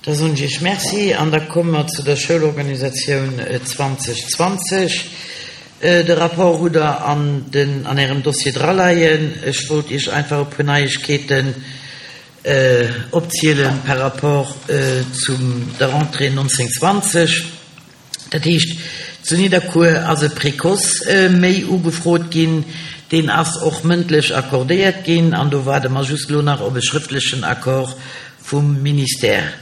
Da soen ech Iech Merci an da komme mer zu der Schoulorganisatioun 2020. De Rapport hutt Der an den, an Ärem Dossier draleien. Ech wollt Iech einfach e puer Neiegkeeten opziele par rapport zum der Rentrée 1920. Dat heescht, zu Nidderkuer ass e Précoce méi ugefrot ginn. Deen ass och mëndlech accordéiert ginn an do waarde mer just elo nach op e schrëftlechen Accord vum Ministère.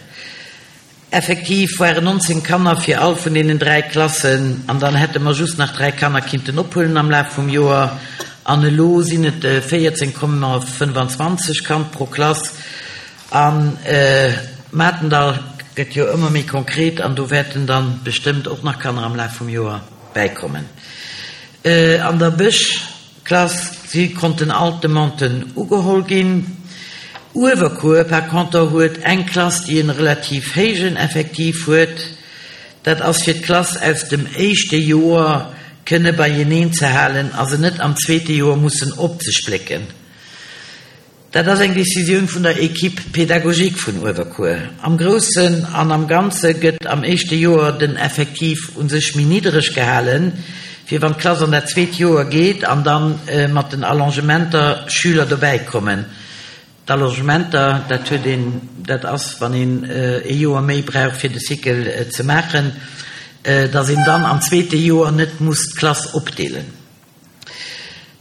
Effektiv waren 19 Kanner fir all vun deenen 3 Klassen an dann hätte mer just nach 3 Kanner kinnten ophuelen am Laf vum Joer an elo sinn et 14,25 Kand pro Klass. A Matendall gëtt jo ëmmer méi konkret an do wäerten dann bestëmmt och nach Kanner am Laf vum Joer bäikommen. An der Bëschklass si konnten all d'Demanden ugeholl ginn. Uewerkuer par conter huet eng Klass déi en relativ héijen Effektiv huet. Dat ass fir d'Klass aus dem éischte Joer kënne beieneen ze halen a se net am zweete Joer mussen opzesplécken. Dat ass eng Decisioun vun der Equipe pédagogique vun Uewerkuer. Am Groussen an am Ganze gëtt am éischte Joer den Effektiv u sech méi niddereg gehalen, fir wann d'Klass an dat zweet Joer geet an da mat den Allongementer Schüler dobäi kommen. D'Allongementer, dat huet een, dat ass wann een ee Joer méi brauch fir de Cycle ze maachen, datt een dann am zweete Joer net muss d'Klass opdeelen.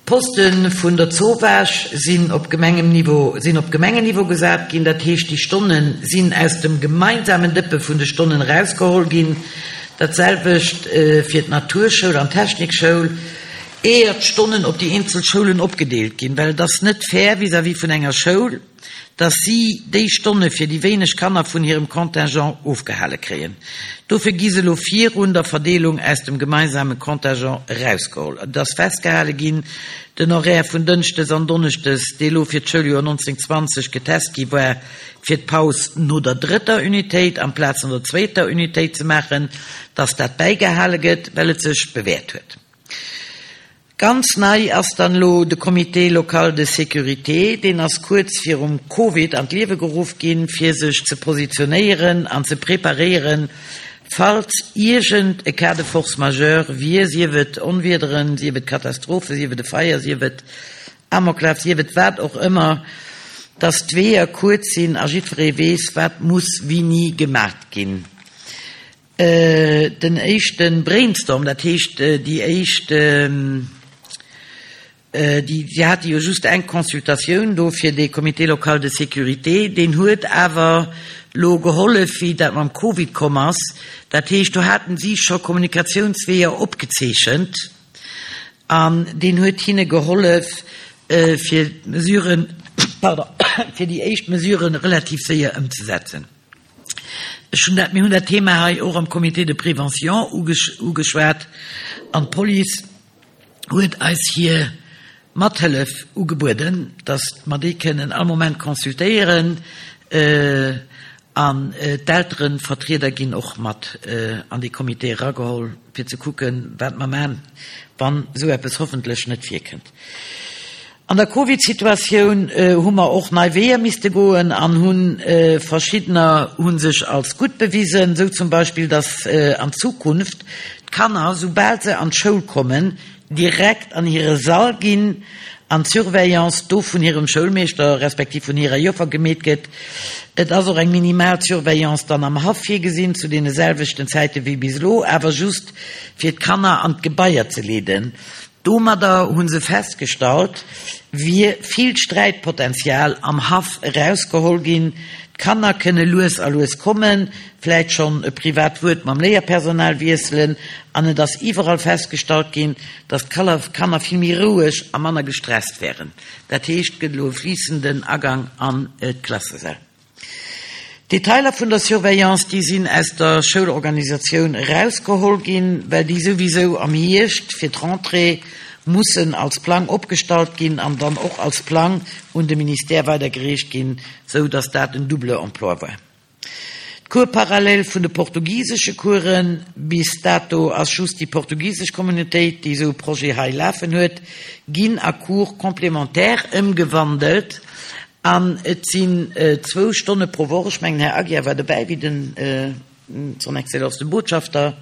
D'Poste vun der Zowaasch sinn op Gemengenniveau sinn op Gemengenniveau gesat ginn. Dat heescht, déi Stonne sinn aus dem gemeinsamen Dëppe vun de Stonnen erausgeholl ginn. Dat selwecht fir d'Naturschoul an d'Technikschoul, éier d'Stonnen op déi eenzel Schoulen opgedeelt ginn, well et ass net fair vis-à-vis vun enger Schoul, dass si déi Stonne fir déi wéineg Kanner vun hirem Contingent ofgehale kréien. Dofir gi se elo virun der Verdeelung aus dem gemeinsame Contingent erausgeholl. Et ass festgehale ginn, den Horaire vun Dënschdes an Donneschdes, dee elo fir d'Schouljoer 19, 20 getest gi war, fir d'Paus no der drëtter Unitéit amplaz no der zweeter Unitéit ze maachen, dass dat bäigehale gëtt, well et sech bewäert huet. Ganz nei ass dann elo de Comité local de sécurité. Deen ass kuerz virum Covid an d'Liewe geruff ginn, fir sech ze positionéieren an ze preparéieren, falls iergend e Cas de force majeure wier, sief et Onwiederen, sief et Katastrophe, sief et e Feier, sief et Amoklaf, sief et wat och ëmmer, dass d'Weeër kuerz sinn a jiddweree weess, wat muss wéini gemaat ginn. Den éischte Brainstorm, dat heescht déi éischt, déi, si hate jo just eng Consultatioun do fir dee Comité local de sécurité, deen huet awer lo gehollef, wéi dat mam Covid komm ass. Dat heescht, do haten si scho Kommunikatiounsweeër opgezeechent an deen huet hinne gehollef, fir d'Mesuren, pardon, fir déi éischt Mesuren relativ séier ëmzesetzen. Ech hunn dat, mir hunn dat Thema hei och am Comité de prévention ugeschwat an d'Police huet eis hir Mathëllef ugebueden, datt mer déi kënnen all Moment consultéieren an d'Elterevertrieder ginn och mat an dee Comité erageholl, fir ze kucken, wat mer maachen, wann esou eppes hoffentlech net virkënnt. An der Covid-Situatioun hu mer och nei Weeër misste goen an hunn verschiddener hu sech als gutt bewisen, esou zum Beispill, dass an Zukunft d'Kanner, soubal se an d'Schoul kommen, direkt an hire Sall ginn an d'Surveillance do vun hirem Schoulmeeschter respektiv vun hirer Joffer gemeet gëtt. Et ass och eng minimal Surveillance dann am Haff virgesinn, zu deene selwechten Zäite wéi bis elo, awer just fir d'Kanner an d'Gebaier ze leeden. Domadder hu se festgestallt, wier vill Sträitpotenzial am Haff erausgeholl ginn. D'Kanner kënne lues a lues kommen, vläit schonn e privat Wuert mam Léierpersonal wiesselen an et ass iwwerall festgestallt ginn, datt d'Kanner vill méi roueg a manner gestresst wären. Dat heescht, et gëtt elo e fliissenden Agang an d'Klassesäll. D'Detailer vun der Surveillance, déi sinn aus der Schoulorganisatioun erausgeholl ginn, well déi souwisou am Hierscht fir d'Rentrée mussen als Plang opgestallt ginn an dann och als Plang un de Ministère weidergereecht ginn, sou datt dat en double emploi war. D'Cours parallèle vun de portugisesche Coursen, bis dato ass just déi portugisesch Communautéit, déi esou e Projet hei lafen huet, ginn a Cours complémentaires ëmgewandelt. An et sinn zwou Stonne pro Woch, ech mengen, Här Aguiar war dobäi, wéi den Son Excellence de Botschafter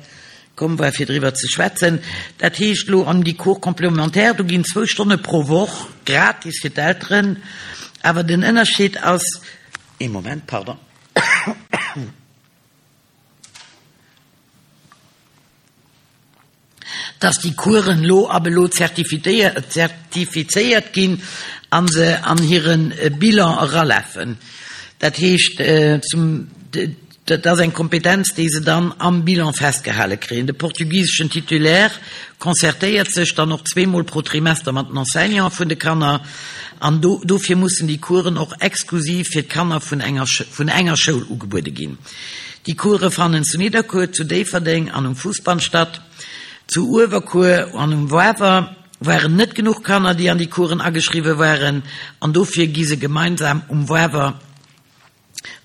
komm war, fir driwwer ze schwätzen. Dat heescht elo an déi Cours complémentaires, do ginn zwou Stonne pro Woch gratis fir d'Elteren. Awer den Ënnerscheed ass, ee Moment, pardon. Dass déi Coursen elo ab elo zertifizéiert ginn a se an hire Bilan eralafen. Dat heescht, dat ass eng Kompetenz, déi se dann am Bilan festgehale kréien. De portugiseschen Titulaire concertéiert sech dann och zweemol pro Trimester mat den Enseignanten vun de Kanner an dofir mussen déi Coursen och exklusiv fir d'Kanner vun enger Schoul ugebuede ginn. Déi Course fannen zu Nidderkuer, zu Déifferdeng an um Fousbann statt. Zu Uewerkuer an um Wawer waren net genuch Kanner, déi an déi Coursen ageschriwwe waren an dofir gi se gemeinsam um Wawer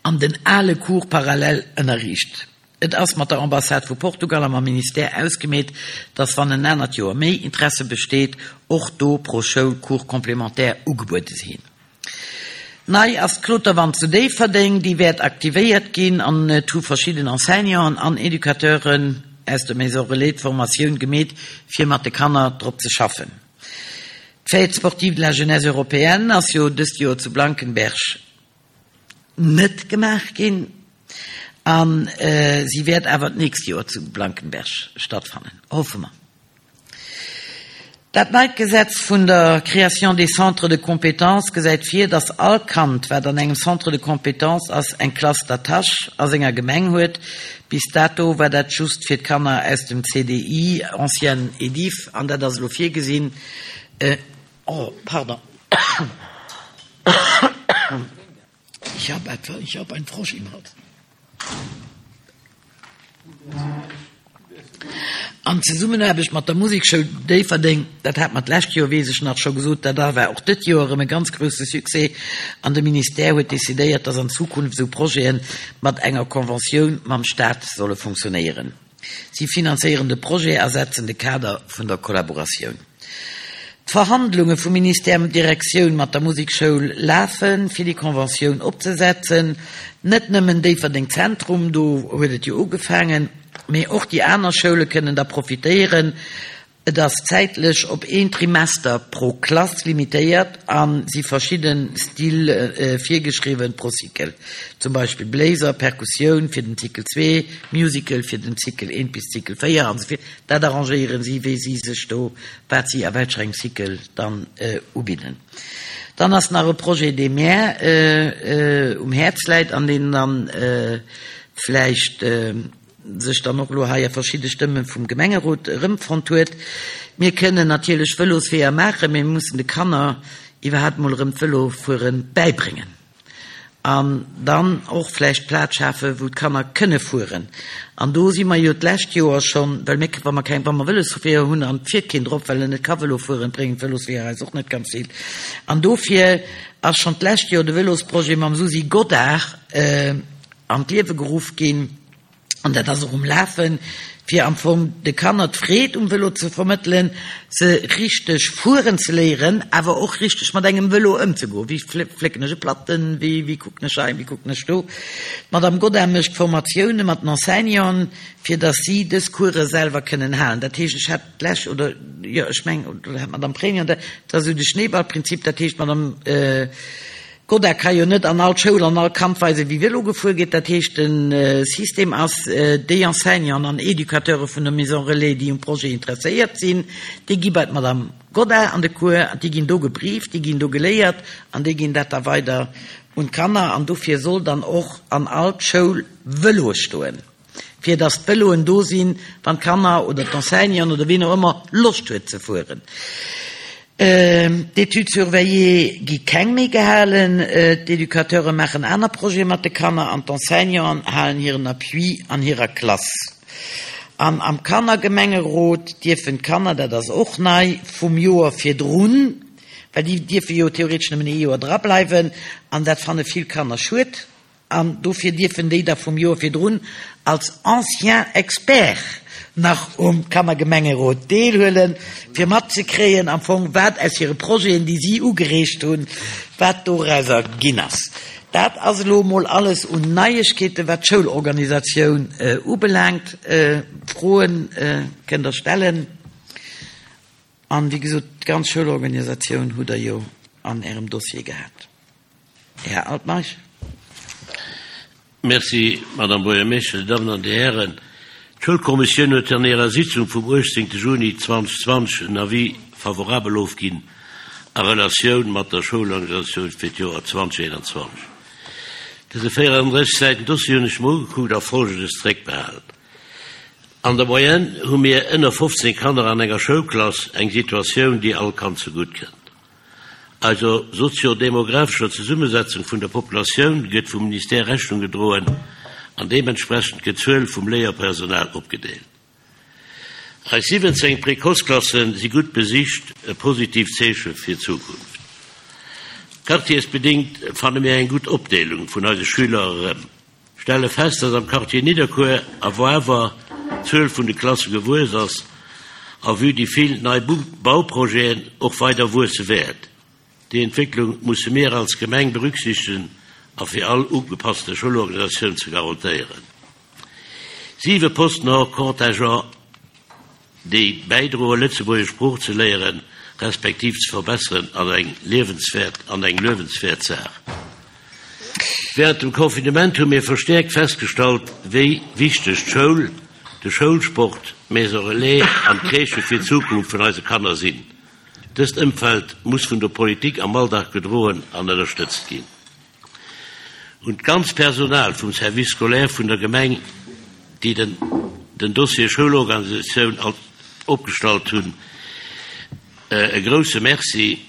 an den ale Cours parallèle ënnerriicht. Et ass mat der Ambassade vu Portugal a mam Ministère ausgemeet, dass wann en anert Joer méi Interesse besteet, och do pro Schoul Cours complémentaires ugebuede sinn. Nei ass d'Kloterwand zu Déifferdeng, déi wäert aktivéiert ginn an et hu verschidden Enseignanten an Educateuren aus der Maison Relais d'Formatioun gemeet, fir mat de Kanner drop ze schaffen. D'Fête sportive de la jeunesse européenne ass jo dëst Joer zu Blankenberg net gemaach ginn a si wäert awer d'nächst Joer zu Blankenberg stattfannen, hoffe mer. Dat neit Gesetz vun der Création des centres de compétences gesäit vir, dass all Kand, wat an engem Centre de compétences ass, eng Classe d'attache a senger Gemeng huet. Bis dato war dat just fir d'Kanner aus dem CDI, ancienne EDIFF, an dat ass elo virgesinn. Oh, pardon. Ich habe etwa, ich habe einen Frosch im Hals. An Zesummenaarbecht mat der Musekschoul Déifferdeng, dat hat mer d'lescht Joer, weess ech nach, scho gesot, dat war och dët Joer erëm e ganz grousse Succès. An de Ministère huet decidéiert, dass an Zukunft esou Projete mat enger Conventioun mam Stat solle funktionéieren. Si finanzéieren de Projet a setzen de Kader vun der Kollaboratioun. D'Verhandlunge vum Ministère Direktioun mat der Musekschoul lafen, fir déi Conventioun opzesetzen. Net nëmmen Déifferdeng Zentrum, do huet et jo ugefaangen, mee och déi aner Schoule kënnen da profitéieren. Et ass zäitlech op een Trimester pro Klass limitéiert a si verschidde Style virgeschriwwen pro Cycle, zum Beispill Bléiser, Perkussioun fir den Cycle 2, Musical fir den Cycle 1 bis Cycle 4 an esou vir. Dat arrangéieren si, wéi si sech do, wat si a welcher engem Cycle dann ubidden. Dann ass nach e Projet, dee mär um Häerz läit an deen dann vläicht, sech dann och elo hei a verschidde Stëmme vum Gemengerot erëmfonnt huet. Mir kënnen natierlech Vëlosweeër maachen, mee mir mussen de Kanner iwwerhaapt mol erëm d'Vëlofuere bäibréngen an dann och vläicht Plaz schafen, wou d'Kanner kënne fueren. An do si mer jo d'lescht Joer schonn, well mir, wa mer keng, wa mer Vëlosweeër hunn an et fiert keen drop, well en net ka Vëlo fueren, bréngen d'Vëlosweeër eis och net ganz vill. An dofir ass schonn d'lescht Joer de Vëlosprojet mam Susi Godart an d'Liewe geruff ginn, an dat ass och um Lafen, fir am Fong de Kanner d'Freed um Vëlo ze vermëttelen, se richteg fueren ze léieren, awer och richteg mat engem Vëlo ëmzegoen. Wéi flécken ech e Platten, wéi wéi kucken ech hei, wéi kucken ech do. D'Madame Godin mécht Formatioune mat den Enseignanten, fir datt si dës Course selwer kënnen halen. Dat heescht, ech hat d'lescht, oder jo, ech mengen, oder hat d'Madame Pregno dat, dat ass esou de Schneeballprinzip, dat heescht, d'Madame Godda ka jo net an all Schoul an all Kand weisen, wéi Vëlo gefuer gétt. Dat heescht, de System ass, déi Enseignanten an Educateure vun der Maison Relais, déi um Projet interesséiert sinn, déi gi bei d'Madame Godda an de Cours, déi ginn do gebrieft, déi ginn do geléiert an déi ginn dat da weider un d'Kanner. An dofir soll dann och an all d'Schoul Vëloe stoen. fir dass d'Vëloen do sinn, wann d'Kanner oder d'Enseignanten oder wien och ëmmer Loscht huet ze fueren. D'Études surveillées gi keng méi gehalen, d'Educateure maachen aner Projete mat de Kanner an d'Enseignanten halen hiren Appui an hirer Klass. An am Kannergemengerot dierfen d'Kanner, dat ass och nei, vum Joer virdrun, well déi dierfe jo theoretesch nëmmen ee Joer drableiwen, an dat fanne vill Kanner schued. An dofir dierfen déi da vum Joer virdrun als anciens experts nach um Kannergemengerot deelhuelen, fir matzekréien am Fong, wat aus hire Projeten, déi si ugereegt hunn, wat dorauser ginn ass. Dat ass elo emol alles un Neiegkeeten, wat d'Schoulorganisatioun ubelaangt. Froen kënnt Der stellen. An, wéi gesot, d'ganz Schoulorganisatioun hutt Der jo an Ärem Dossier gehat. Här Altmeisch. Merci, Madame Buergermeeschtesch, Dir Dammen an Dir Hären. D'Schoulkommissioun huet an hirer Sitzung vum 18. Juni 2020 en Avis favorabel ofginn a Relatioun mat der Schoulorganisatioun fir d'Joer 2021. Dëse 34 Säiten Dossier hunn ech mer ugekuckt a Folgendes zréckbehalen. An der Moyenne hu mir ënner 15 Kanner an enger Schoulklass, eng Situatioun, déi all Kand zegutt kënnt. Eiser sozio-demographescher Zesummesetzung vun der Populatioun gëtt vum Ministère Rechnung gedroen an deementsprechend gëtt d'Zuel vum Léierpersonal opgedeelt. Eis 17 Précoce-Klasse si gutt besicht, e positiivt Zeeche fir d'Zukunft. Quartiersbedéngt fanne mir eng gutt Opdeelung vun eise Schüler erëm. Stelle fest, dass am Quartier Nidderkuer a Wawer d'Zuel vun de Klasse gewuess ass a vue déi vill nei Bauprojeten och weider wuesse wäert. Déi Entwécklung musse mir als Gemeng berücksichtegen a fir all ugepasste Schoulorganisatioun ze garantéieren. Siwe Posten hors contingent. déi bäidroen, Lëtzebuergesch Sprooch ze léieren, respektiv ze verbesseren, ass eng liewenswäert an eng luewenswäert Saach. Während dem Confinement hu mir verstäerkt festgestallt, wéi wichteg d'Schoul, de Schoulsport, d'Maison Relais an d'Crèchë fir d'Zukunft vun eise Kanner sinn. Dëst Ëmfeld muss vun der Politik am Alldag gedroen an ënnerstëtzt ginn. Un d'ganz Personal vum Service scolaire vun der Gemeng, déi den den Dossier Schoulorganisatioun opgestallt hunn, e grouse Merci.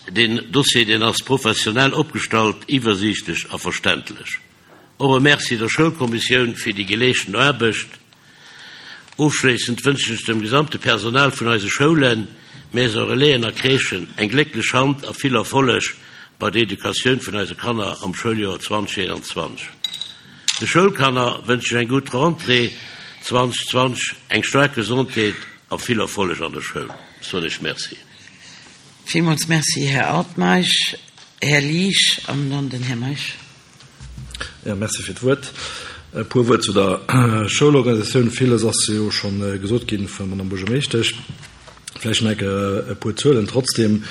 Deen Dossier, deen ass professionell opgestallt, iwwersiichtlech a verständlech. Och e Merci der Schoulkommissioun fir déi geleeschten Aarbecht. Ofschléissend wënschen ech dem gesamte Personal vun eise Schoulen, Maison Relaisen a Crèchen eng glécklech Hand a vill Erfolleg bei der Educatioun vun eise Kanner am Schouljoer 2021. De Schoulkanner wënschen ech eng gutt Rentrée 2020, eng staark Gesondheet a vill Erfolleg an der Schoul. Soen ech Merci. Villmools Merci, Här Altmeisch. Här Liesch an dann den Här Meisch. Jo, merci fir d'Wuert. E puer Wuert zu der Schoulorganisatioun. Villes ass jo scho gesot gi vun der Madame Buergermeeschtesch. Vläicht nach e puer Zuelen trotzdem,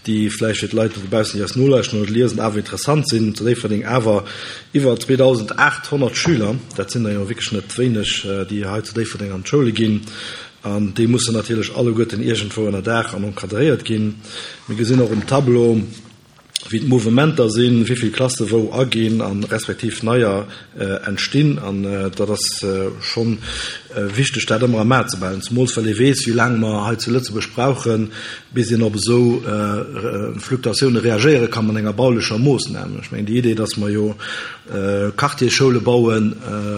déi vläicht fir d'Leit dobaussen, déi eis nolauschten oder liesen, awer interessant sinn. Zu Déifferdeng awer iwwer 2.800 Schüler, dat sinn der jo wierklech net wéineg, déi hei zu Déifferdeng an d'Schoule ginn. An déi mussen natierlech alleguerten iergendwou ënnerdaach an encadréiert ginn. Mir gesinn och um Tableau, wéi d'Mouvementer sinn, wéi vill Klasse wou aginn a respektiv neier entstinn. An dat ass scho wichteg, dat ëmmer am A ze behalen, zemools well ee weess, wéi laang mer hei zu Lëtzebuerg brauchen, bis een op esou Fluktuatioune reagéiere ka mat enger baulecher Moossnam. Ech mengen, déi Idee, datt mer jo Quartiersschoule bauen,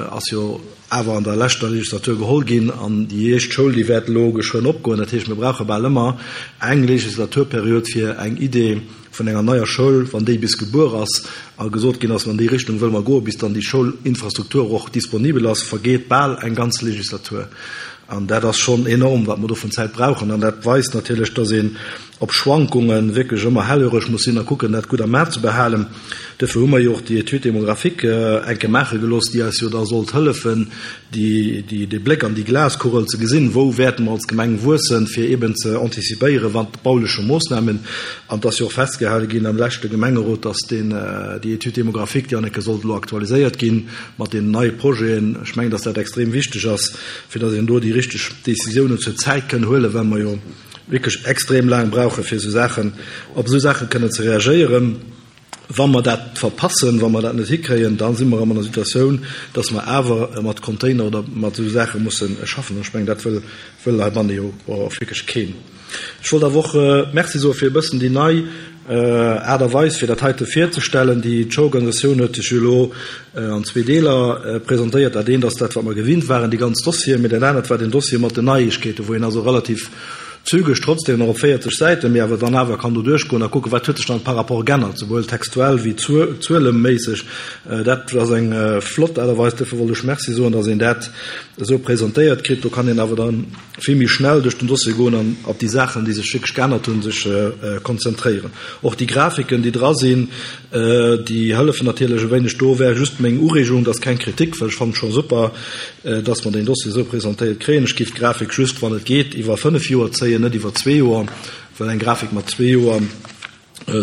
ass jo awer an der leschter Legislatur geholl ginn an déi éischt Schoul, déi wäert elo geschwënn opgoen. Dat heescht, mir brauche bal ëmmer eng Legislaturperiod fir eng Idee vun enger neier Schoul, wann déi bis gebuer ass a gesot ginn ass, an déi Richtung wëlle mer goen, bis dann déi Schoulinfrastruktur och disponibel ass, vergeet bal eng ganz Legislatur. An dat ass schonn enorm, wat mer do vun Zäit brauchen. An dat weist natierlech, dass een op Schwankunge wierklech ëmmer hellhöreg muss sinn a kucken, dat gutt am A ze behalen. Duerfir hu mer jo och déi Étude démographique eng Kéier maache gelooss, déi eis jo da sollt hëllefen, dee Bléck an déi Glaskugel ze gesinn, wou wäerte mer als Gemeng wuessen, fir eeben ze antizipéieren, wat bauleche Moossnamen. An et ass jo och festgehale ginn am leschte Gemengerot, dass déi Étude démographique, déi an eng Kéier sollt elo aktualiséiert ginn mat deenen neie Projeten. Ech mengen, dass dat extrem wichteg ass, fir dass een do déi richteg Décisiounen zur Zäit kënn huelen, well mer jo wierklech extrem laang brauchen, fir esou Saachen, op esou Saache kënnen ze reagéieren. Wa mer dat verpassen, wa mer dat net hikréien, da si mer erëm an der Situatioun, dass mer awer mat Container oder mat esou Saache musse schaffen. An ech mengen, dat wëll, wëll heibanne jo och wierklech keen. Ech wollt awer och Merci soe fir e bëssen déi nei Aart a Weis, fir dat heite virzestellen. Déi Schoorganisatioun huet sech jo elo an zwee Deeler presentéiert. Dat eent ass dat, wat mer gewinnt waren, déi ganz Dossieren, mee dat anert war den Dossier mat den Neiegkeeten, wou een also relativ. zügeg trotzdem nach op 40 Säiten, mee awer dann awer kann do duerchgoen a kucken, wat huet sech dann par rapport g'ännert, souwuel textuell wéi zueleméisseg. Dat ass eng flott Aart a Weis. Duerfir wollt ech Merci soen, dass een dat esou presentéiert kritt. Do kann een awer dann vill méi schnell duerch den Dossier goen an op déi Saachen, déi sech wierklech geännert hunn, sech konzentréieren. Och déi Grafiken, déi dra sinn, déi hëllefen natierlech e wéineg. Do wär just meng Ureegung, dat ass keng Kritik, well ech fannen et scho super, dass mer deen Dossier esou presentéiert kréien. Ech géif d'Grafik just, wann et geet, iwwer fënnf Joer zéien, net iwwer zwee Joer, well eng Grafik mat zwee Joer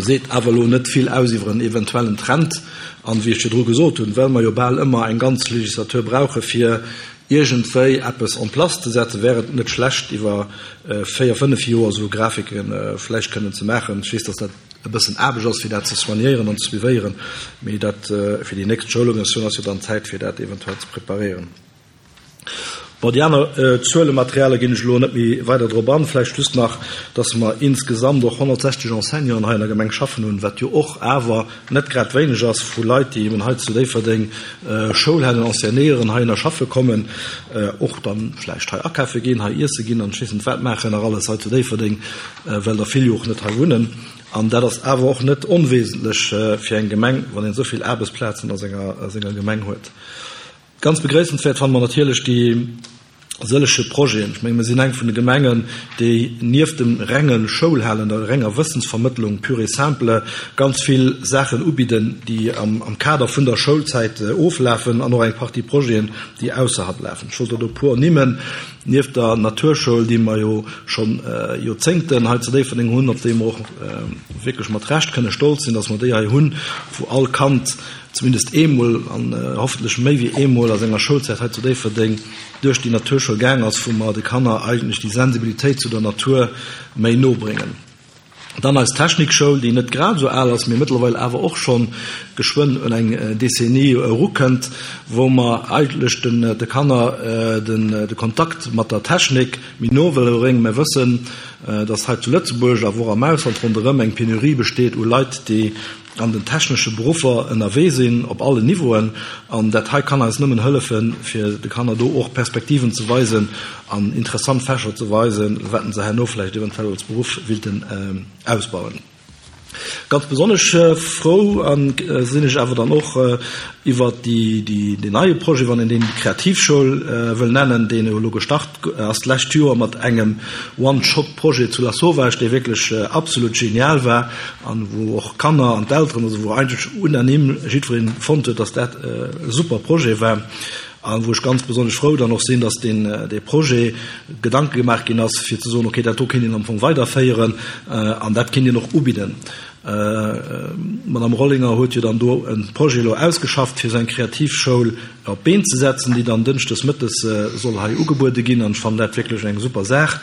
seet awer elo net vill aus iwwer en eventuellen Trend. An, wéi ech virdru gesot hunn, well mer jo bal ëmmer eng ganz Legislatur brauche fir iergendwéi eppes en place ze setzen, wär et net schlecht, iwwer véier, fënnf Joer esou Grafike vläicht kënnen ze maachen. Ech weess, dass dat e bëssen Aarbecht ass, fir dat ze soignéieren an ze suivéieren, mee dat fir déi nächst Schoulorganisatioun ass jo dann Zäit, fir dat eventuell ze preparéieren. Bon, déi aner Zuelematerialer ginn ech elo net méi weider drop an. Vläicht just nach, dass mer insgesamt och 160 Enseignanten hei an der Gemeng schaffen hunn, wat jo och awer net grad wéineg ass vu Leit, déi eben hei zu Déifferdeng Schoul halen, enseignéieren, heihinner schaffe kommen, och dann vläicht hei akafe ginn, hei iesse ginn an ech weess net wat maachen nach alles hei zu Déifferdeng, well der vill jo och net hei wunnen. An dat ass awer och net onwesentlech fir eng Gemeng, wann een esou vill Aarbechtsplazen a senger Gemeng huet. Ganz begréissenswäert fanne mer natierlech déi sëllege Projeten. Ech menge mir sinn eng vun de Gemengen, déi nieft dem renge Schoulhalen, der renger Wëssensvermëttlung pure et simple, ganz vill Saachen ubidden, déi am Kader vun der Schoulzäit oflafen an och eng Partie Projeten, déi ausserhalb lafen. Ech wollt der do e puer ernimmen, Nieft der Naturschoul, déi mer jo scho Joerzéngten hei zu Déifferdeng hunn, op déi mer och wierklech mat Recht kënne stolz sinn, dass mer déi hei hunn, wou all Kand zumindest eemol an hoffentlech méi wéi eemol a senger Schoulzäit hei zu Déifferdeng duerch déi Naturschoul gaang ass, wou mer de Kanner eigentlech déi Sensibilitéit zu der Natur méi no bréngen. Dann eis Technikschoul, déi net grad esou al ass, mee mëttlerweil awer och scho geschwënn un eng Décennie erukënnt, wou mer eigentlech de Kanner de Kontakt mat der Technik méi no wëlle bréngen. Mer wëssen, dass hei zu Lëtzebuerg, awer och am Ausland ronderëm eng Penurie besteet u Leit, déi an den technesche Beruffer ënnerwee sinn, op allen Niveauen. An dat hei kann eis nëmmen hëllefen, fir de Kanner do och Perspektiven ze weisen an interessant Fächer ze weisen, wat se herno vläicht eventuell als Beruff willten ausbauen. Ganz besonnesch frou sinn ech awer dann och iwwert deen neie Projet, wann een deen Kreativschoul wëll nennen, deen elo gestart ass d'lescht Joer mat engem One-Shot-Projet zu Lasauvage, dee wierklech absolut genial war an wou och d'Kanner an d'Elteren, also wou eigentlech unanime jiddweree fonnt huet, dass dat e super Projet war a wou ech ganz besonnesch frou dann och sinn, dass deen dee Projet Gedanke gemaach ginn ass, fir ze soen, okay, dat do kéint een am Fong weiderféieren an dat kéint een och ubidden. D'Madame Rollinger huet jo dann do e Projet elo ausgeschafft, fir esou eng Kreativschoul op d'Been ze setzen, déi dann dënschdes mëttes soll hei ugebuede ginn. An ech fannen dat wierklech eng super Saach.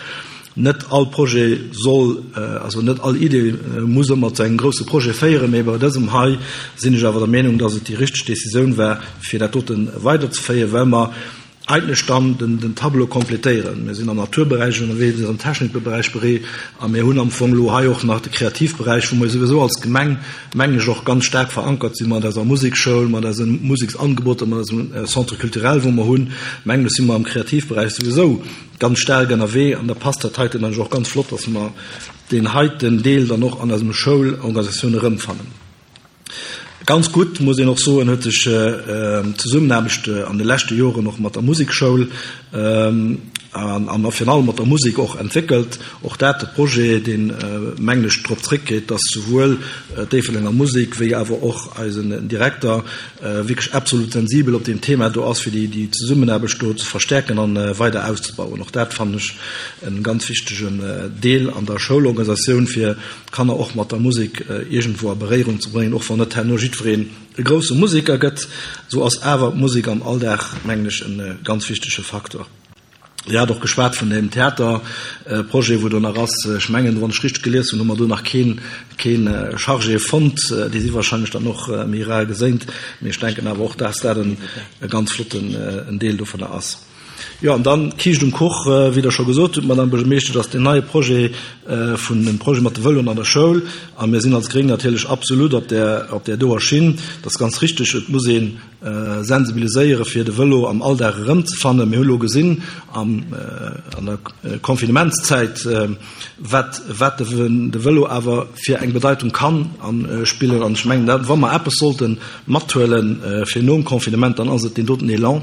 Net all Projet soll, also net all Idee muss ëmmer zu engem grousse Projet féieren, mee bei dësem hei sinn ech awer der Meenung, dass et déi richteg Décisioun war, fir dat dote weiderzeféieren, well mer eigentlech dann den Tableau complétéieren. Mir sinn am Naturberäich ënnerwee, mir sinn am Technikberäich beree a mir hunn am Fong elo hei och nach de Kreativberäich, wou mer souwisou als Gemeng, mengen ech, och ganz staark verankert sinn mat eiser Musekschoul, mat eise Museksangeboter, mat eisem Centre culturel, wou mer hunn. Mengen ech, si mer am Kreativberäich souwisou ganz staark ënnerwee an da passt dat heiten dann och ganz flott, dass mer deen heiten Deel dann och an eisem Schoulorganisatioun erëmfannen. Ganz gutt, muss een och soen, huet sech d'Zesummenaarbecht an de leschte Joren och mat der Musekschoul an virun allem mat der Musek och entwéckelt. Och dat e Projet, deen, mengen ech, drop zréckgeet, dass souwuel d'Déifferdenger Musek wéi awer och eisen Direkter wierklech absolut sensibel op deem Thema do ass, fir déi Zesummenaarbecht do ze verstärken an weider auszebauen. Och dat fannen ech e ganz wichtegen Deel an der Schoulorganisatioun, fir d'Kanner och mat der Musek iergendwou a Beréierung ze bréngen, och wann net herno jiddwereen e grousse Museker gëtt, esou ass awer d'Musek am Alldag, mengen ech, e ganz wichtege Faktor. Dir hat och geschwat vun deem Theaterprojet, wou do nach ass. Ech mengen, wann ech richteg gelies hunn, hu mer do nach keen, kee Chargé fonnt. Déi si wahrscheinlech dann och méi rar geséint. Mee ech denken awer och, dass dat e ganz flotten Deel dovunner ass. Jo, an dann d'Kiischt um Kuch, wéi Der scho gesot hutt, Madame Buergermeeschtesch, ass deen neie Projet vun dem Projet mat de Vëloen an der Schoul. A mir sinn als Gréng natierlech absolut op där, op där doer Schinn. Dat ass ganz richtig, et muss ee sensibiliséiere fir de Vëlo am Alldag erëmzefannen. Mir hu lo gesinn am, an der Confinementszäit, wat, wat de Vëlo awer fir eng Bedeitung kann spillen. An ech mengen, dat, wa mer eppes sollte mathuele fir nom Confinement, dann ass et deen doten Elan,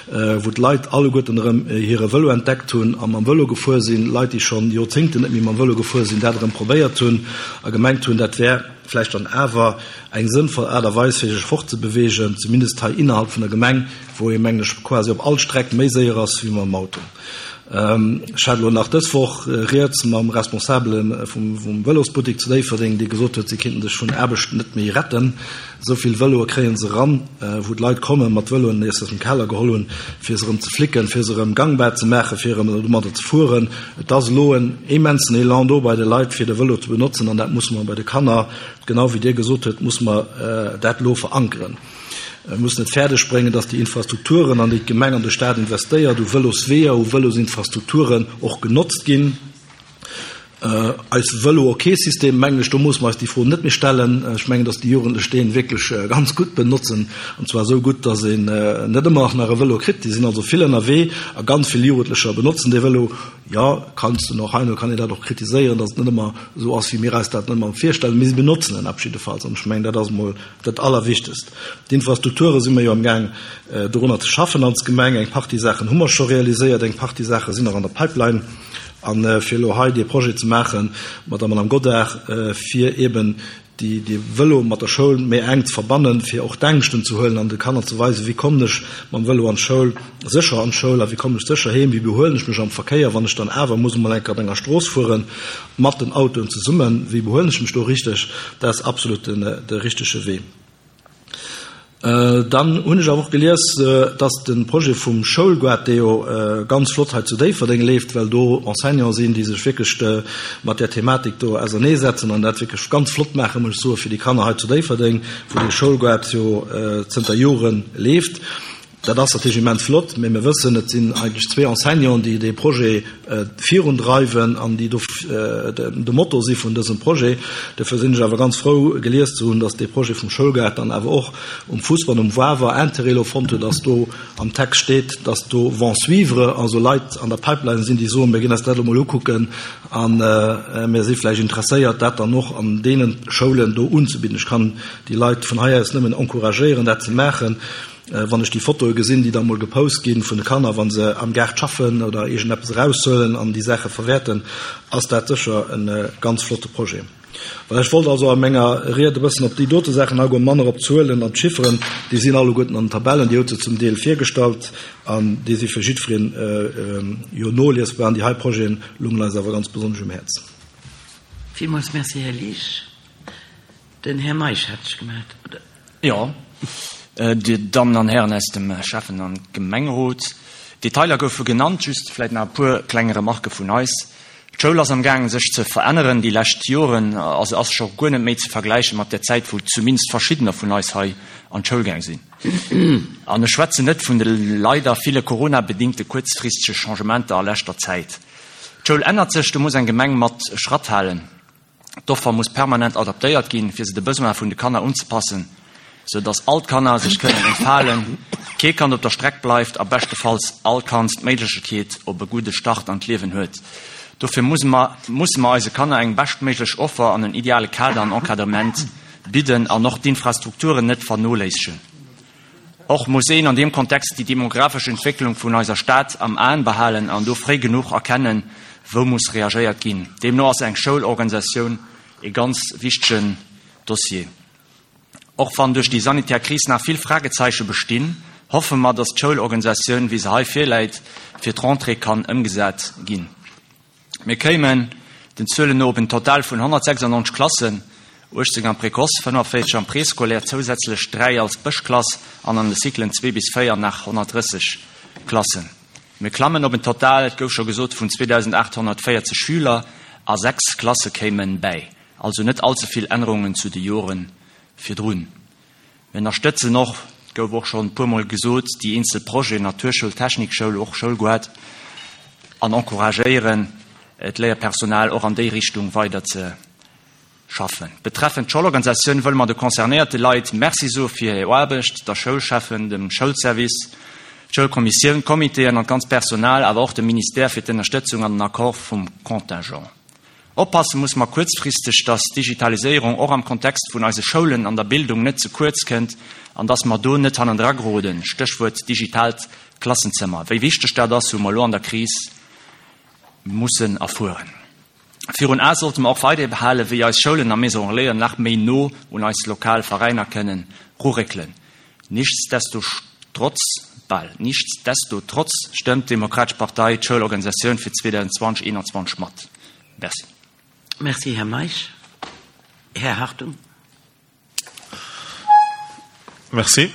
wou d'Leit alleguerten erëm hire Vëlo entdeckt hunn a mam Vëlo gefuer sinn, Leit, déi schonn Joerzéngten net méi mam Vëlo gefuer sinn, dat erëm probéiert hunn a gemengt hunn, dat wär vläicht dann awer eng sënnvoll Aart a Weis, fir sech fortzebewegen, zumindest hei innerhalb vun der Gemeng, wou ee, mengen ech, quasi op all Streck méi séier ass wéi mam Auto. Ech hat elo nach dës Woch Rieds mam Responsabele vum Vëlosbuttek zu Déifferdeng, dee gesot huet, si kéinten sech vun Aarbecht net méi retten. Esou vill Vëloe kréie se eran, wou d'Leit komme mat Vëloen, déi se aus dem Keller geholl hunn, fir se erëm ze flicken, fir se erëm gangbar ze maachen, fir erëm domadder ze fueren. Et ass elo en immensen Elan do bei de Leit, fir de Vëlo ze benotzen an dat musse mer bei de Kanner, genau wéi Dir gesot hutt, musse mer dat elo verankeren. Mir mussen et fäerdeg bréngen, dass déi Infrastrukturen, an déi d'Gemeng an de Stat investéiert, u Vëlosweeër, u Vëlosinfrastrukturen och genotzt ginn. Eis Vëlo-ok-System, mengen ech, do musse mer eis déi Fro net méi stellen. Ech mengen, dass déi Jugendlech dee wierklech ganz gutt benotzen, an zwar esou gutt, dass een net ëmmer nach e Vëlo kritt. Déi sinn also vill ënnerwee a ganz vill Jugendlecher benotzen dee Vëlo. Jo, kanns de och, heino kann een dat och kritiséieren, dass et net ëmmer esou ass, wéi mir eis dat ëmmer virstellen. Mee si benotzen en op jiddefalls an ech mengen, dat ass emol Dat Allerwichtegst, d'Infrastrukture si mer jo amgaang dorunner ze schaffen als Gemeng. Eng Partie Saachen hu mer scho realiséiert, eng Partie Saache sinn nach an der Pipeline. A fir elo hei dee Projet ze maache mat der Madame Godart, fir eeben déi, dee Vëlo mat der Schoul méi enk ze verbannen, fir och d'Ängschten ze huelen an de Kanner ze weisen, wéi kommen ech mam Vëlo an d'Schoul, sécher an d'Schoul a wéi kommen ech sécher heem, wéi behuelen ech mech am Verkéier, wann ech dann awer muss emol eng Kéier op enger Strooss fueren. Mat den Autoen zesummen, wéi behuelen ech mech do richteg? Dat ass absolut de richtege Wee. Dann hunn ech awer och gelies, dass de Projet vum Schoulgaart, dee jo ganz flott hei zu Déifferdeng leeft, well do Enseignante sinn, déi sech wierklech mat där Thematik do auserneesetzen an dat wierklech ganz flott maachen, muss ech soen, fir déi Kanner hei zu Déifferdeng, wou dee Schoulgaart jo zënter Jore leeft. Dat ass natierlech immens flott, mä mir wëssen, et sinn eigentlech zwee Enseignanten, déi dee Projet virundreiwen an déi do de Motor si vun dësem Projet. Dofir sinn ech awer ganz frou, gelies ze hunn, dass dee Projet vum Schoulgaart dann awer och um Fussball, um Wawer Intérêt elo fonnt huet, dass do am Text steet, dass do vont suivre, also Leit an der Pipeline sinn, déi soen, mir ginn eis dat elo mol ukucken a mir si vläicht interesséiert, dat dann och an deene Schoulen do unzebidden. Ech kann déi Leit vun hei aus nëmmen encouragéieren, dat ze maachen. Wann ech déi Fotoe gesinn, déi da mol gepost ginn vun de Kanner, wa se am Gaart schaffen oder iergendeppes eraushuelen an déi Saache verwäerten, ass dat sécher e ganz flotte Projet. Voilà, ech wollt also a menger Ried e bëssen op déi dote Saachen agoen, manner op d'Zuelen an d'Chifferen. Déi sinn alleguerten an den Tabellen, Dir hutt se zum Deel virgestallt an déi si fir jiddwereen jo noliesbar. An déi hei Projete lungen eis awer ganz besonnesch um Häerz. Villmools Merci, Här Liesch. Den Här Meisch hat sech gemellt, oder? Jo, Dir Dammen an Hären aus dem Schäffen an Gemengerot, d'Detailer goufe genannt, just vläit nach e puer kleng Remarquë vun eis. D'Schoul ass am gaangen sech ze veränneren déi lescht Joren a se ass scho guer net méi ze vergläiche mat der Zäit, wou zumindest verschiddener vun eis hei an d'Schoul gaang sinn. An ech schwätzen net vun de leider ville Corona-bedingte kuerzfristege Changementer a leschter Zäit. D'Schoul ännert sech, do muss eng Gemeng mat Schratt halen. D'Offer muss permanent adaptéiert ginn, fir se de Besoine vun de Kanner unzepassen, sou dass all d'Kanner sech kënnen entfalen, kee Kand op der Streck bleift a beschtefalls all Kand d'Méiglechekeet op e gudde Start an d'Liewen huet. Dofir musse mer musse mer eise Kanner eng beschtméiglech Offer an en ideale Kader an Encadrement bidden an och d'Infrastrukturen net vernoléissegen. Och muss een an deem Kontext déi demografesch Entwécklung vun eiser Stad am Aen behalen an do fréi genuch erkennen, wou muss reagéiert ginn. Deemno ass eng Schoulorganisatioun ee ganz wichtegen Dossier. Och wann duerch déi sanitär Kris nach vill Fragezeiche bestinn, hoffe mer, dass d'Schoulorganisatioun, wéi se hei virläit, fir d'Rentrée kann ëmgesat ginn. Mir kéimen den Zuelen no op en Total vun 196 Klassen, 18 am Précoce, 45 am Préscolaire, zousätzlech 3 als Bëschklass an an de Cyclen 2 bis 4 nach 130 Klassen. Mir klammen op en Total, et gouf scho gesot, vun 2.840 Schüler a 6 Klasse kéime bäi. Also net allze vill Ännerungen zu de Jore virdrun. Mir ënnerstëtzen och. Gouf och schonn e puermol gesot, déi eenzel Projeten, Naturschoul, Technikschoul, och Schoulgoart, an encouragéieren d'Léierpersonal och an déi Richtung weider ze schaffen. Betreffend d'Schoulorganisatioun wëlle mer de concernéierte Leit Merci soe fir hir Aarbecht, der Schoulschäffen, dem Schoulservice, d'Schoulkommissioun, d'Comitéen an d'ganz Personal, awer och dem Ministère fir d'Ënnerstëtzung an den Accord vum Contingent. Oppasse muss mer kuerzfristeg, dass d'Digitaliséierung och am Kontext vun eise Schoulen an der Bildung net ze kuerz kënnt an dass mer do net hannendra geroden, Stéchwuert digitaalt Klassenzëmmer. Wéi wichteg dat ass, hu mer elo an der Kris mussen erfueren. Virun Ae sollte mer och weiderhi behalen, wéi eis Schoulen a Maison Relaisen nach méi no un eis lokal Veräiner kënnen ruréckelen. Nichtsdestotrotz, bal, nichtsdestotrotz stëmmt d'Demokratesch Partei d'Schoulorganisatioun fir 2020, 21 mat. Merci. Merci, Här Meisch. Här Hartung. Merci.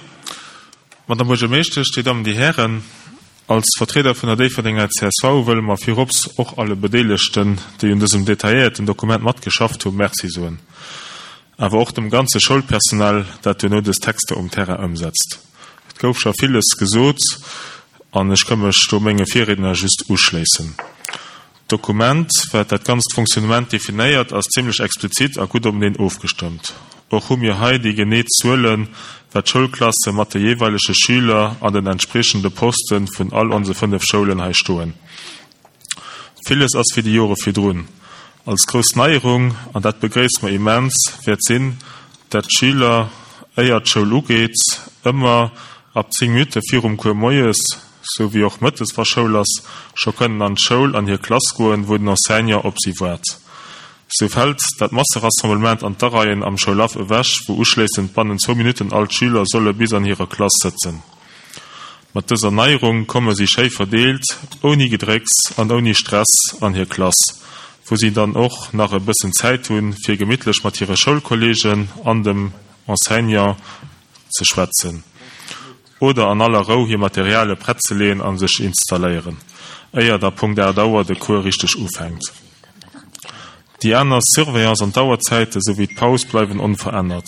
Madame Buergermeeschtesch, Dir Dammen, Dir Hären, als Vertrieder vun der Déifferdenger csv wëlle mer virops och alle Bedeelegten, déi un dësem detailléierten Dokument matgeschafft hunn, Merci soen. Awer och dem ganze Schoulpersonal, dat duerno dës Texter um Terrain ëmsetzt. Et gouf scho villes gesot an ech ka mech do menge Virriedner just uschléissen. D'Dokument, wat dat ganzt Fonctionnement definéiert, ass zimlech explizit a gutt openeen ofgestëmmt. Och hu mir hei déi genee Zuelen, wat d'Schoulklasse mat de jeeweilege Schüler an den entspriechende Poste vun all onse 5 Schoulen hei stoen. Villes ass wéi déi Jore virdrun. Als grouss Neierung, an dat begréisse mer immens, wäert sinn, dat d'Schüler, éier d'Schoul ugeet, ëmmer ab 10 Minutte virum Cours moies, sou wéi och mëttes wa Schoul ass, scho kënnen an d'Schoul an hir Klass goen, wou den Enseignant op si waart. Sou fält dat Masserassemblement an d'Areien am Schoulhaff ewech, wou uschléissend bannen zwou Minutten all d'Schüler solle bis an hirer Klass sëtzen. Mat dëser Neierung komme si schéi verdeelt, ouni Gedrécks an ouni Stress an hir Klass, wou si dann och nach e bëssen Zäit hunn, fir gemittlech mat hire Schoulkolleegen an dem Enseignant ze schwätzen. Oder an aller Rou hir Materiale prett ze leeën a sech installéieren, éier da Punkt 8 Auer de Cours richteg ufänkt. Déi aner Surveillance an d'Auerzäite souwéi d'Paus bleiwen onverännert.